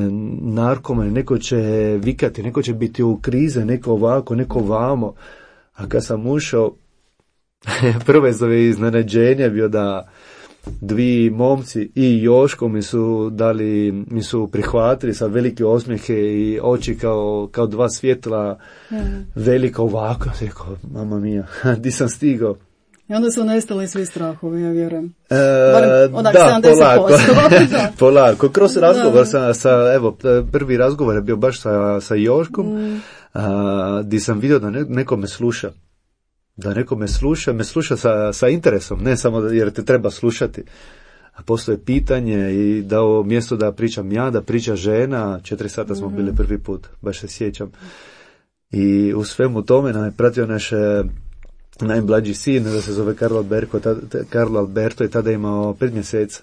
narkomani, neko će vikati, neko će biti u krize, neko ovako, neko vamo. A kad sam ušao, prve zove iznenađenje bio da dvi momci i Joško mi su dali, mi su prihvatili sa velike osmijehe i oči kao, kao dva svjetla, mm. velika ovako. Ja sam rekao, mama mija, di sam stigao? I onda su nestali svi strahovi, ja vjerujem. E, onak, da, polako. polako. Kroz razgovor sa, sa, evo, prvi razgovor je bio baš sa, sa Joškom, mm. a, gdje sam vidio da ne, neko me sluša. Da neko me sluša, me sluša sa, sa interesom, ne samo da, jer te treba slušati. A postoje pitanje i dao mjesto da pričam ja, da priča žena, četiri sata smo mm. bili prvi put, baš se sjećam. I u svemu tome nam je pratio naše najmlađi sin, da se zove Carlo Alberto, tada, Carlo Alberto i tada je imao pet mjeseca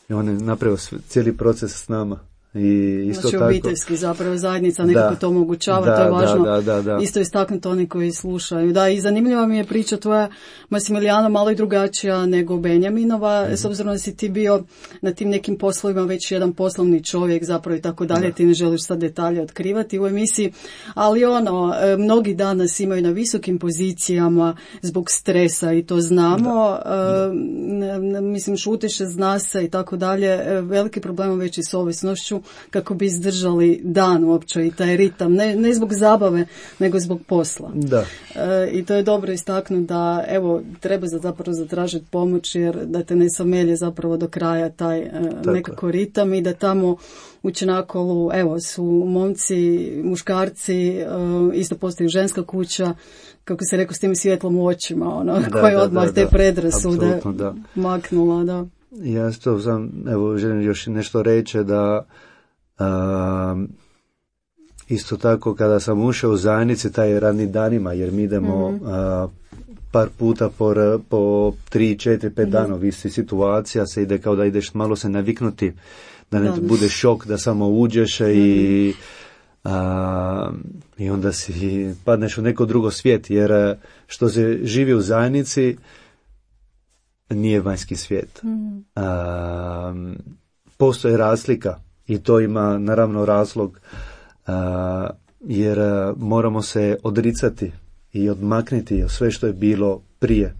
i on je napravio cijeli proces s nama. I isto znači tako, obiteljski zapravo zajednica nekako to omogućava, da, to je važno da, da, da. isto istaknuti oni koji slušaju. Da, i zanimljiva mi je priča tvoja, Masimilijano, malo i drugačija nego Benjaminova, mm-hmm. s obzirom da si ti bio na tim nekim poslovima već jedan poslovni čovjek zapravo i tako dalje, ti ne želiš sad detalje otkrivati u emisiji, ali ono, mnogi danas imaju na visokim pozicijama zbog stresa i to znamo, da, da. mislim šutiše, zna se i tako dalje, veliki problem već i s ovisnošću, kako bi izdržali dan uopće i taj ritam, ne, ne zbog zabave, nego zbog posla. Da. E, I to je dobro istaknuti da, evo, treba zapravo zatražiti pomoć, jer da te ne samelje zapravo do kraja taj e, nekako ritam i da tamo u Čenakolu, evo, su momci, muškarci, e, isto postoji ženska kuća, kako se rekao, s tim svjetlom u očima, ono, da, koji da, odmah da, te da. predrasude maknula, da. Ja to sam, evo, želim još nešto reći da Um, isto tako kada sam ušao u zajednici taj radni danima, jer mi idemo mm-hmm. uh, par puta po, po tri, četiri, pet mm-hmm. dana, visi situacija, se ide kao da ideš malo se naviknuti, da ne da. bude šok da samo uđeš mm-hmm. i, uh, i onda si padneš u neko drugo svijet, jer što se živi u zajednici nije vanjski svijet. Mm-hmm. Uh, postoji razlika. I to ima naravno razlog, uh, jer uh, moramo se odricati i odmaknuti od sve što je bilo prije.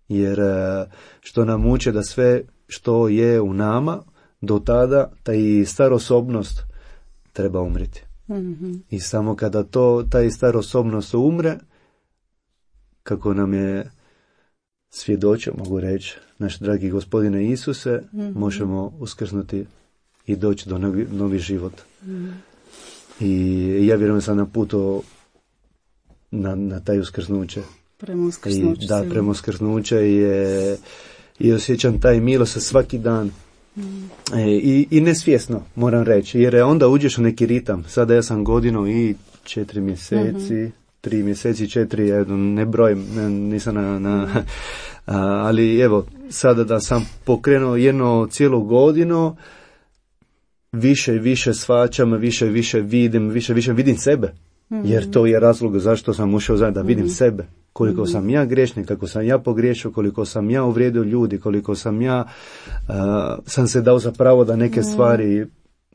Jer uh, što nam uče da sve što je u nama do tada, taj star osobnost treba umriti. Mm-hmm. I samo kada to, taj star osobnost umre, kako nam je svjedočio, mogu reći, naš dragi gospodine Isuse, mm-hmm. možemo uskrsnuti i doći do novi, novi život. Mm. I ja vjerujem sam na putu na, na taj uskrsnuće. Prema uskrsnuće. I, da, prema uskrsnuće je, i osjećam taj milost svaki dan. Mm. E, i, I nesvjesno, moram reći, jer onda uđeš u neki ritam. Sada ja sam godinu i četiri mjeseci, mm-hmm. tri mjeseci, četiri, ja ne brojim, ne, nisam na, na a, ali evo, sada da sam pokrenuo jedno cijelu godinu, više i više shvaćam, više i više vidim, više i više vidim sebe. Mm-hmm. Jer to je razlog zašto sam ušao zajedno, da vidim mm-hmm. sebe. Koliko mm-hmm. sam ja grešnik, kako sam ja pogriješio, koliko sam ja uvrijedio ljudi, koliko sam ja uh, sam se dao za pravo da neke mm-hmm. stvari,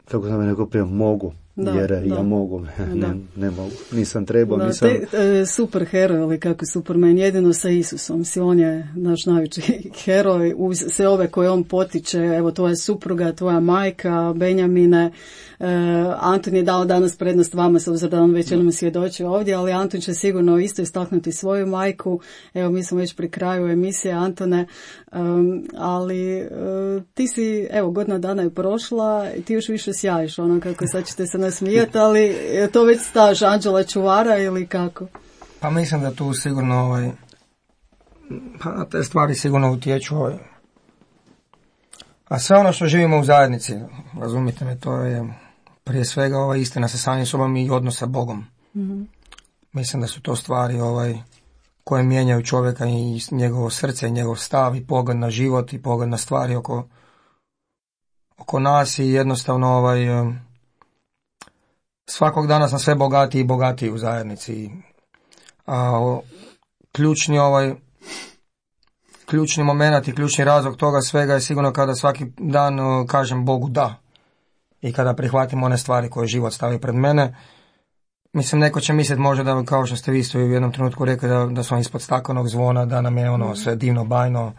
kako sam rekao prije, mogu. Da, jer da. ja mogu, ne, ne mogu, nisam trebao, da, nisam... Te, e, super heroj, ali kako Superman, jedino sa Isusom, si on je naš najveći heroj, uz sve ove koje on potiče, evo tvoja supruga, tvoja majka, Benjamine, e, Antun je dao danas prednost vama, s obzirom da on već jednom svjedočio ovdje, ali Antun će sigurno isto istaknuti svoju majku, evo mi smo već pri kraju emisije, Antone, um, ali uh, ti si, evo godina dana je prošla i ti još više sjajiš, ono kako sad ćete se nasmijati, ali je to već staž anđela čuvara ili kako? Pa mislim da tu sigurno ovaj, pa te stvari sigurno utječu ovaj. A sve ono što živimo u zajednici, razumite me, to je prije svega ova istina sa samim sobom i odnos sa Bogom. Mm-hmm. Mislim da su to stvari ovaj, koje mijenjaju čovjeka i njegovo srce, i njegov stav i pogled na život i pogled na stvari oko, oko nas i jednostavno ovaj, svakog dana sam sve bogatiji i bogatiji u zajednici. A o, ključni ovaj ključni moment i ključni razlog toga svega je sigurno kada svaki dan o, kažem Bogu da. I kada prihvatim one stvari koje život stavi pred mene. Mislim, neko će misliti možda da, kao što ste vi isto u jednom trenutku rekli, da, da smo ispod staklenog zvona, da nam je ono sve divno, bajno,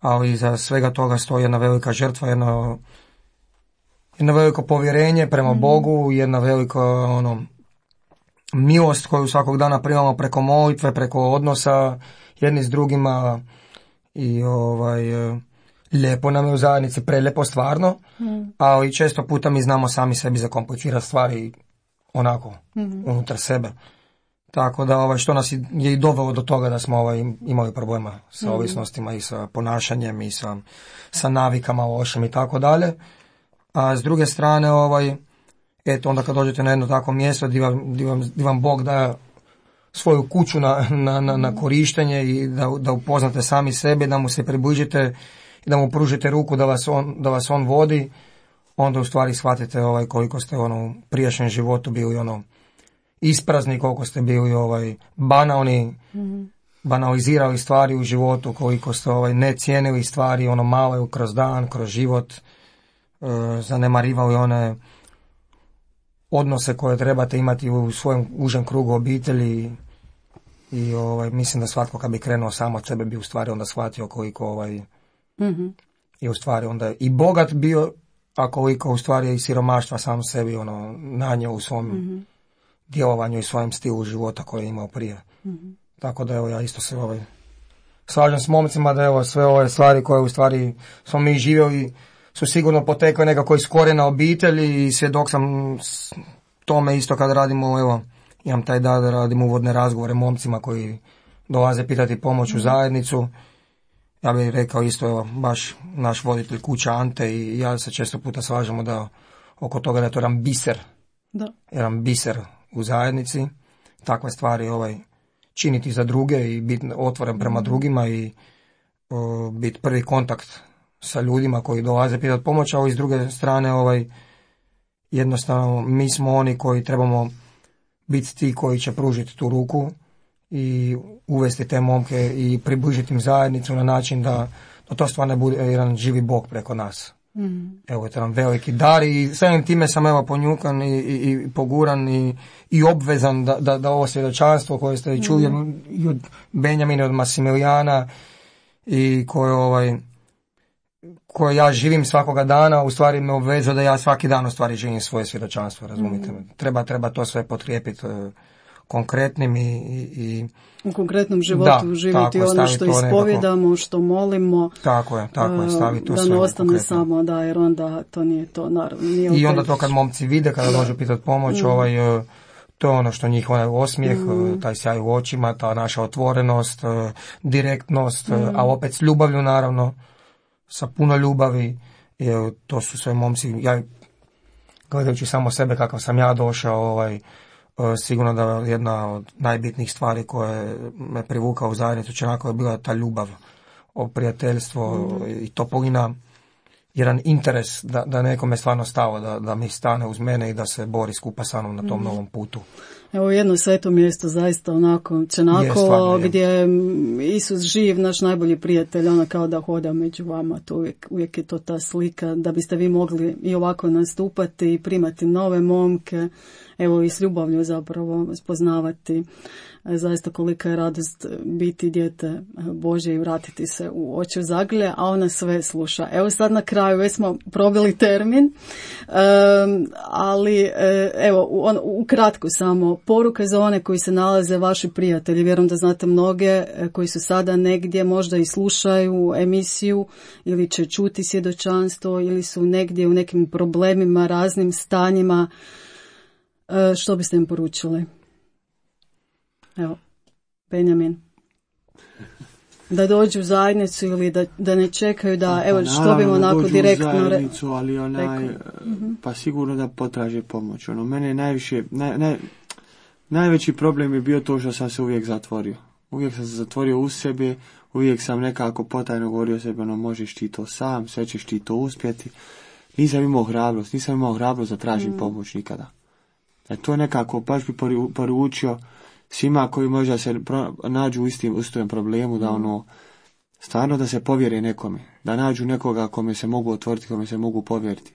ali iza svega toga stoji jedna velika žrtva, jedno, jedno veliko povjerenje prema mm. Bogu, jedna velika ono, milost koju svakog dana primamo preko molitve, preko odnosa jedni s drugima i ovaj, lijepo nam je u zajednici, prelijepo stvarno, mm. ali često puta mi znamo sami sebi zakomplicirati stvari onako, mm-hmm. unutar sebe. Tako da ovaj, što nas je i dovelo do toga da smo ovaj, imali problema sa mm-hmm. ovisnostima i sa ponašanjem i sa, sa navikama lošim i tako dalje. A s druge strane, ovaj, eto, onda kad dođete na jedno takvo mjesto gdje vam, gdje vam, gdje vam Bog daje svoju kuću na, na, na, na korištenje i da, da upoznate sami sebe, da mu se približite i da mu pružite ruku da vas on, da vas on vodi, onda u stvari shvatite ovaj, koliko ste ono, u prijašnjem životu bili ono, isprazni, koliko ste bili ovaj, banalni, mm-hmm. banalizirali stvari u životu, koliko ste ovaj, ne cijenili stvari ono male kroz dan, kroz život, e, zanemarivali one odnose koje trebate imati u svojem užem krugu obitelji i ovaj, mislim da svatko kad bi krenuo samo od sebe bi u stvari onda shvatio koliko ovaj, mm-hmm. je u stvari onda i bogat bio, a koliko u stvari je i siromaštva sam sebi ono, nanio u svom mm-hmm. djelovanju i svojem stilu života koji je imao prije. Mm-hmm. Tako da evo ja isto se ovaj, slažem s momcima da evo sve ove stvari koje u stvari smo mi živjeli su sigurno potekle nekako iz korijena obitelji i svjedok sam tome isto kad radimo, evo, imam taj da da radim uvodne razgovore momcima koji dolaze pitati pomoć u zajednicu. Ja bih rekao isto, evo, baš naš voditelj kuća Ante i ja se često puta slažemo da oko toga da je to jedan biser, da. jedan biser u zajednici, takve stvari ovaj, činiti za druge i biti otvoren prema drugima i o, biti prvi kontakt sa ljudima koji dolaze pitati pomoć, a s druge strane ovaj, jednostavno mi smo oni koji trebamo biti ti koji će pružiti tu ruku i uvesti te momke i približiti im zajednicu na način da, da to stvarno bude jedan živi Bog preko nas. Mm. Evo je to nam veliki dar i samim time sam evo ponjukan i, i, i poguran i, i obvezan da, da, da ovo svjedočanstvo koje ste čuli mm. i od Benjamina, od Masimilijana i koje ovaj koje ja živim svakoga dana, u stvari me obvezuje da ja svaki dan u stvari živim svoje svjedočanstvo, razumite me. Treba, treba to sve potrijepiti uh, konkretnim i, i, i... U konkretnom životu da, živjeti ono je, što ispovjedamo, nekako, što molimo. Tako je, tako je, staviti to da sve. Da ne ostane samo, da, jer onda to nije to, naravno. Nije I onda to kad momci vide, kada dođu pitati pomoć, mm. ovaj... Uh, to je ono što njih onaj osmijeh, mm. taj sjaj u očima, ta naša otvorenost, uh, direktnost, mm. uh, a opet s ljubavlju naravno, sa puno ljubavi, jer to su sve momci, ja gledajući samo sebe kakav sam ja došao, ovaj, sigurno da jedna od najbitnijih stvari koje me privukao u zajednicu Čenakova je bila ta ljubav, o prijateljstvo mm. i topolina, jedan interes da, da nekome stvarno stalo, da, da mi stane uz mene i da se bori skupa sa mnom na tom mm. novom putu. Evo jedno sveto mjesto, zaista onako Čenakovo, gdje je Isus živ, naš najbolji prijatelj, ona kao da hoda među vama, to uvijek, uvijek je to ta slika, da biste vi mogli i ovako nastupati i primati nove momke, evo i s ljubavlju zapravo spoznavati zaista kolika je radost biti dijete Božje i vratiti se u oči zagrlje, a ona sve sluša. Evo sad na kraju, već smo probili termin, um, ali evo on, ukratko samo, poruka za one koji se nalaze, vaši prijatelji, vjerujem da znate mnoge koji su sada negdje, možda i slušaju emisiju ili će čuti svjedočanstvo ili su negdje u nekim problemima, raznim stanjima. Što biste im poručili? Evo, Benjamin. Da dođu u zajednicu ili da, da ne čekaju da, pa, evo, što bi onako direktno... U zajednicu, ali onaj, pa sigurno da potraže pomoć. Ono, mene je najviše, naj, naj, najveći problem je bio to što sam se uvijek zatvorio. Uvijek sam se zatvorio u sebe, uvijek sam nekako potajno govorio sebi, ono, možeš ti to sam, sve ćeš ti to uspjeti. Nisam imao hrabrost, nisam imao hrabrost da tražim mm. pomoć nikada. E to je nekako, baš bi poručio svima koji možda se pro, nađu u istim, istom problemu, da ono, stvarno da se povjere nekome, da nađu nekoga kome se mogu otvoriti, kome se mogu povjeriti,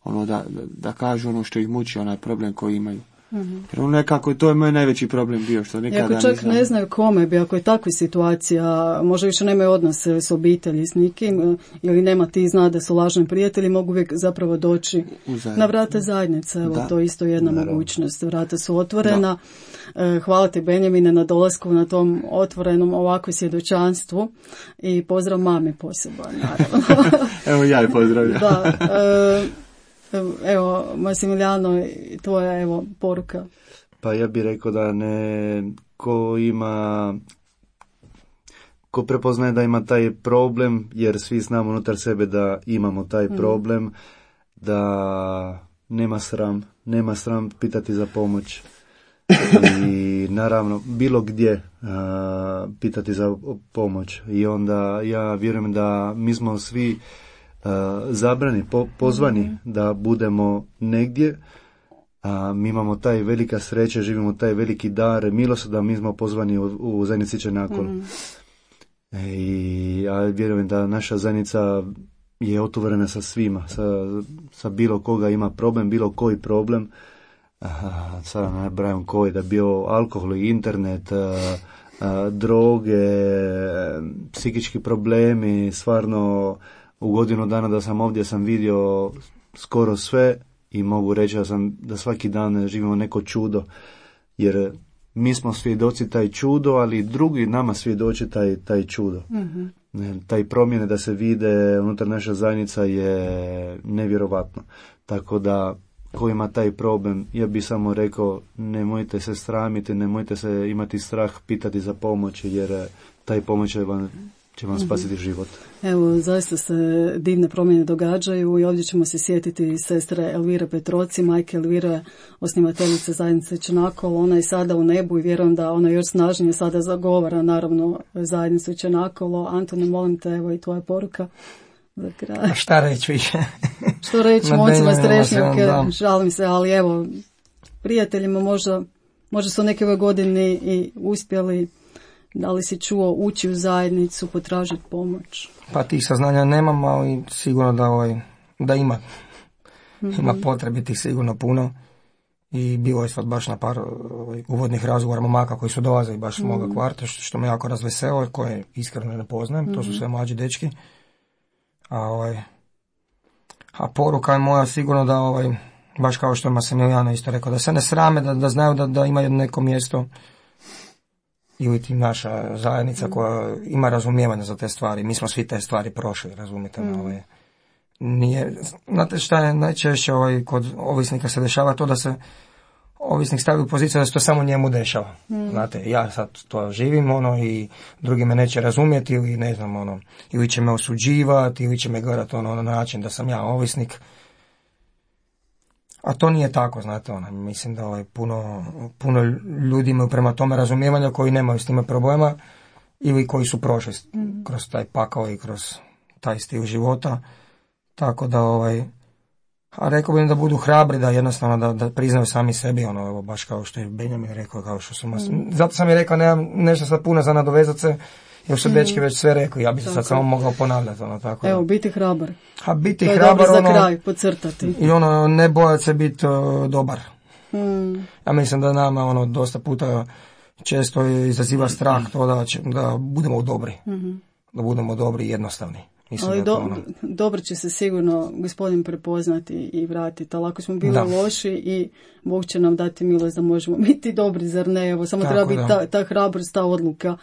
ono, da, da, da kažu ono što ih muči, onaj problem koji imaju. Mm-hmm. Jer ono nekako, to je moj najveći problem bio, što nikada nisam... Ako čak nisam... ne znaju kome bi, ako je takva situacija, možda više nemaju odnose s obitelji, s nikim, ili nema ti zna da su lažni prijatelji, mogu uvijek zapravo doći na vrata zajednice, evo, da. To je isto jedna Naravno. mogućnost, vrata su otvorena. Da. Hvala ti, Benjamine, na dolasku na tom otvorenom ovakvom svjedočanstvu i pozdrav mami poseban, naravno. Evo ja je pozdravljam. Da, e, evo, Masimiljano, tvoja, evo, poruka. Pa ja bih rekao da ne, ko ima, ko prepoznaje da ima taj problem, jer svi znamo unutar sebe da imamo taj problem, mm. da nema sram, nema sram pitati za pomoć. I naravno, bilo gdje a, pitati za pomoć. I onda ja vjerujem da mi smo svi Uh, zabrani, po, pozvani mm-hmm. da budemo negdje, a mi imamo taj velika sreća, živimo taj veliki dar, milost da mi smo pozvani u, u zajednici Čenakol. Mm-hmm. E, I ja vjerujem da naša zajednica je otvorena sa svima, sa, sa bilo koga ima problem, bilo koji problem, a, sada ne brajam koji, da bio alkohol, internet, a, a, droge, psihički problemi, stvarno u godinu dana da sam ovdje sam vidio skoro sve i mogu reći da, sam, da svaki dan živimo neko čudo, jer mi smo svjedoci taj čudo, ali drugi nama svjedoči taj, taj čudo. Mm-hmm. Taj promjene da se vide unutar naša zajednica je nevjerovatno. Tako da ko ima taj problem, ja bih samo rekao, nemojte se sramiti, nemojte se imati strah pitati za pomoć, jer taj pomoć će vam će vam spasiti život. Evo, zaista se divne promjene događaju i ovdje ćemo se sjetiti sestre Elvire Petroci, majke Elvire, osnivateljice zajednice Čenakol. Ona je sada u nebu i vjerujem da ona još snažnije sada zagovara, naravno, zajednicu Čenakolo. Antone, molim te, evo i tvoja poruka za kraj. A šta reći više? Što reći momcima Strešnjavke, žalim se, ali evo, prijateljima možda, možda su neke ove godine i uspjeli. Da li si čuo ući u zajednicu, potražiti pomoć? Pa tih saznanja nemam, ali sigurno da, ovaj, da ima. Mm-hmm. Ima potrebitih sigurno puno. I bilo je sad baš na par ovaj, uvodnih razgovora momaka koji su dolazili baš mm-hmm. s moga kvarta, što, što me jako razveselo, koje iskreno ne poznajem, mm-hmm. to su sve mlađi dečki. A, ovaj, a poruka je moja sigurno da, ovaj, baš kao što je Masimiljano isto rekao, da se ne srame, da, da znaju da, da imaju neko mjesto ili ti naša zajednica koja ima razumijevanje za te stvari. Mi smo svi te stvari prošli, razumite me. Mm. Ovaj. Nije, znate šta je najčešće ovaj, kod ovisnika se dešava to da se ovisnik stavi u poziciju da se to samo njemu dešava. Mm. Znate, ja sad to živim ono i drugi me neće razumjeti ili ne znam ono, ili će me osuđivati ili će me gledati ono na način da sam ja ovisnik. A to nije tako, znate, ono, mislim da ovaj, puno, puno ljudi imaju prema tome razumijevanja koji nemaju s time problema ili koji su prošli mm. kroz taj pakao i kroz taj stil života. Tako da, ovaj, a rekao bih da budu hrabri, da jednostavno da, da priznaju sami sebi, ono, evo, baš kao što je Benjamin rekao, kao što su mas... mm. Zato sam i rekao, nemam nešto sad puno za nadovezat se, jer su mm. dečki već sve rekli, ja bi se tako. Sad samo mogao ponavljati, ono, tako. Evo, biti hrabar. A biti to je hrabar, dobro ono, za kraj, podcrtati. I ono, ne bojat se biti uh, dobar. Mm. Ja mislim da nama, ono, dosta puta često izaziva strah to da, će, da budemo dobri. Mm-hmm. Da budemo dobri i jednostavni. Mislim ali da do, ono... dobro će se sigurno gospodin prepoznati i vratiti, ali ako smo bili da. loši i Bog će nam dati milost da možemo biti dobri, zar ne? Evo, samo tako treba biti ta, ta hrabrost, ta odluka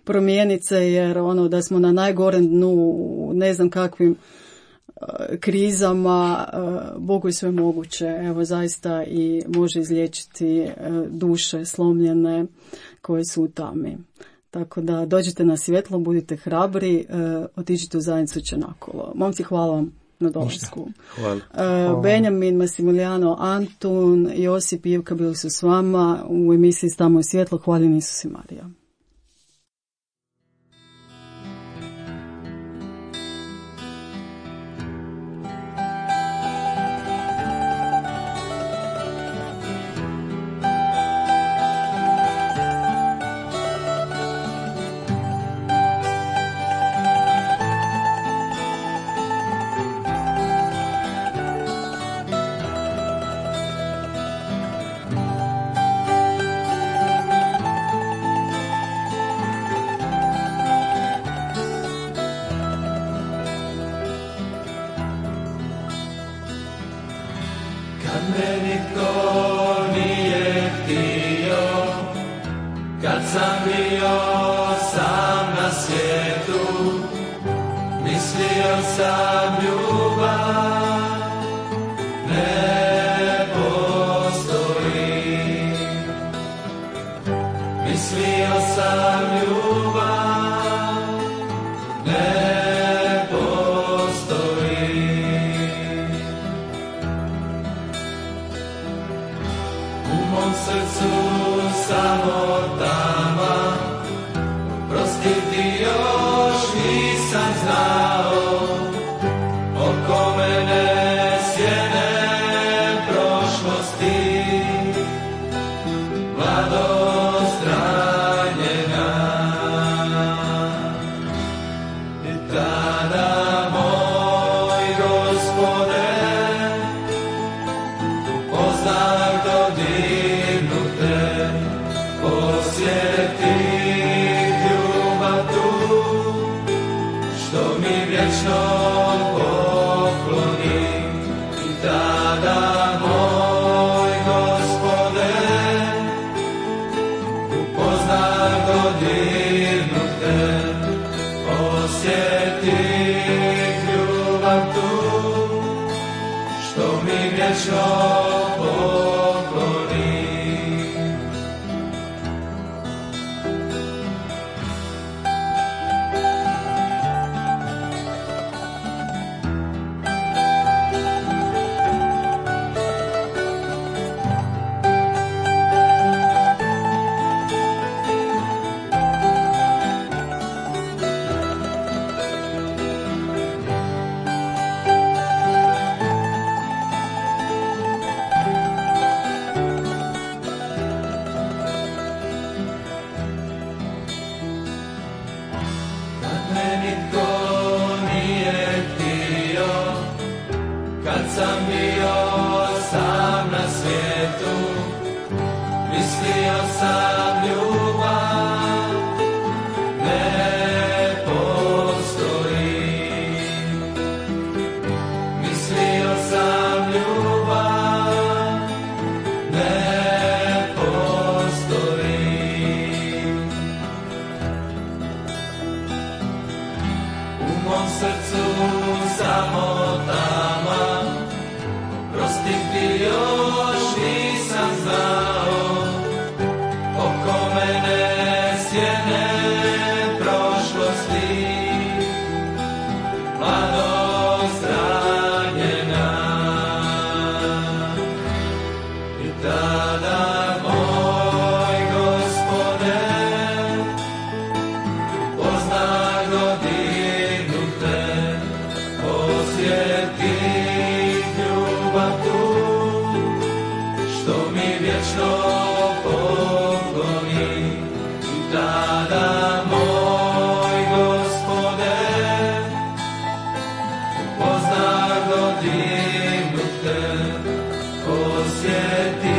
promijeniti se, jer ono da smo na najgorem dnu, ne znam kakvim uh, krizama, uh, Bogu je sve moguće, evo zaista i može izliječiti uh, duše slomljene koje su u tami. Tako da dođite na svjetlo, budite hrabri, e, otiđite u zajednicu Čenakolo. Momci, hvala vam na dolasku. Hvala. E, Benjamin, Massimiliano, Antun, Josip i Ivka bili su s vama u emisiji Stamo u svjetlo. Hvaljen Isus i Marija. Prostiti još nisam znao, o dignute, osjeti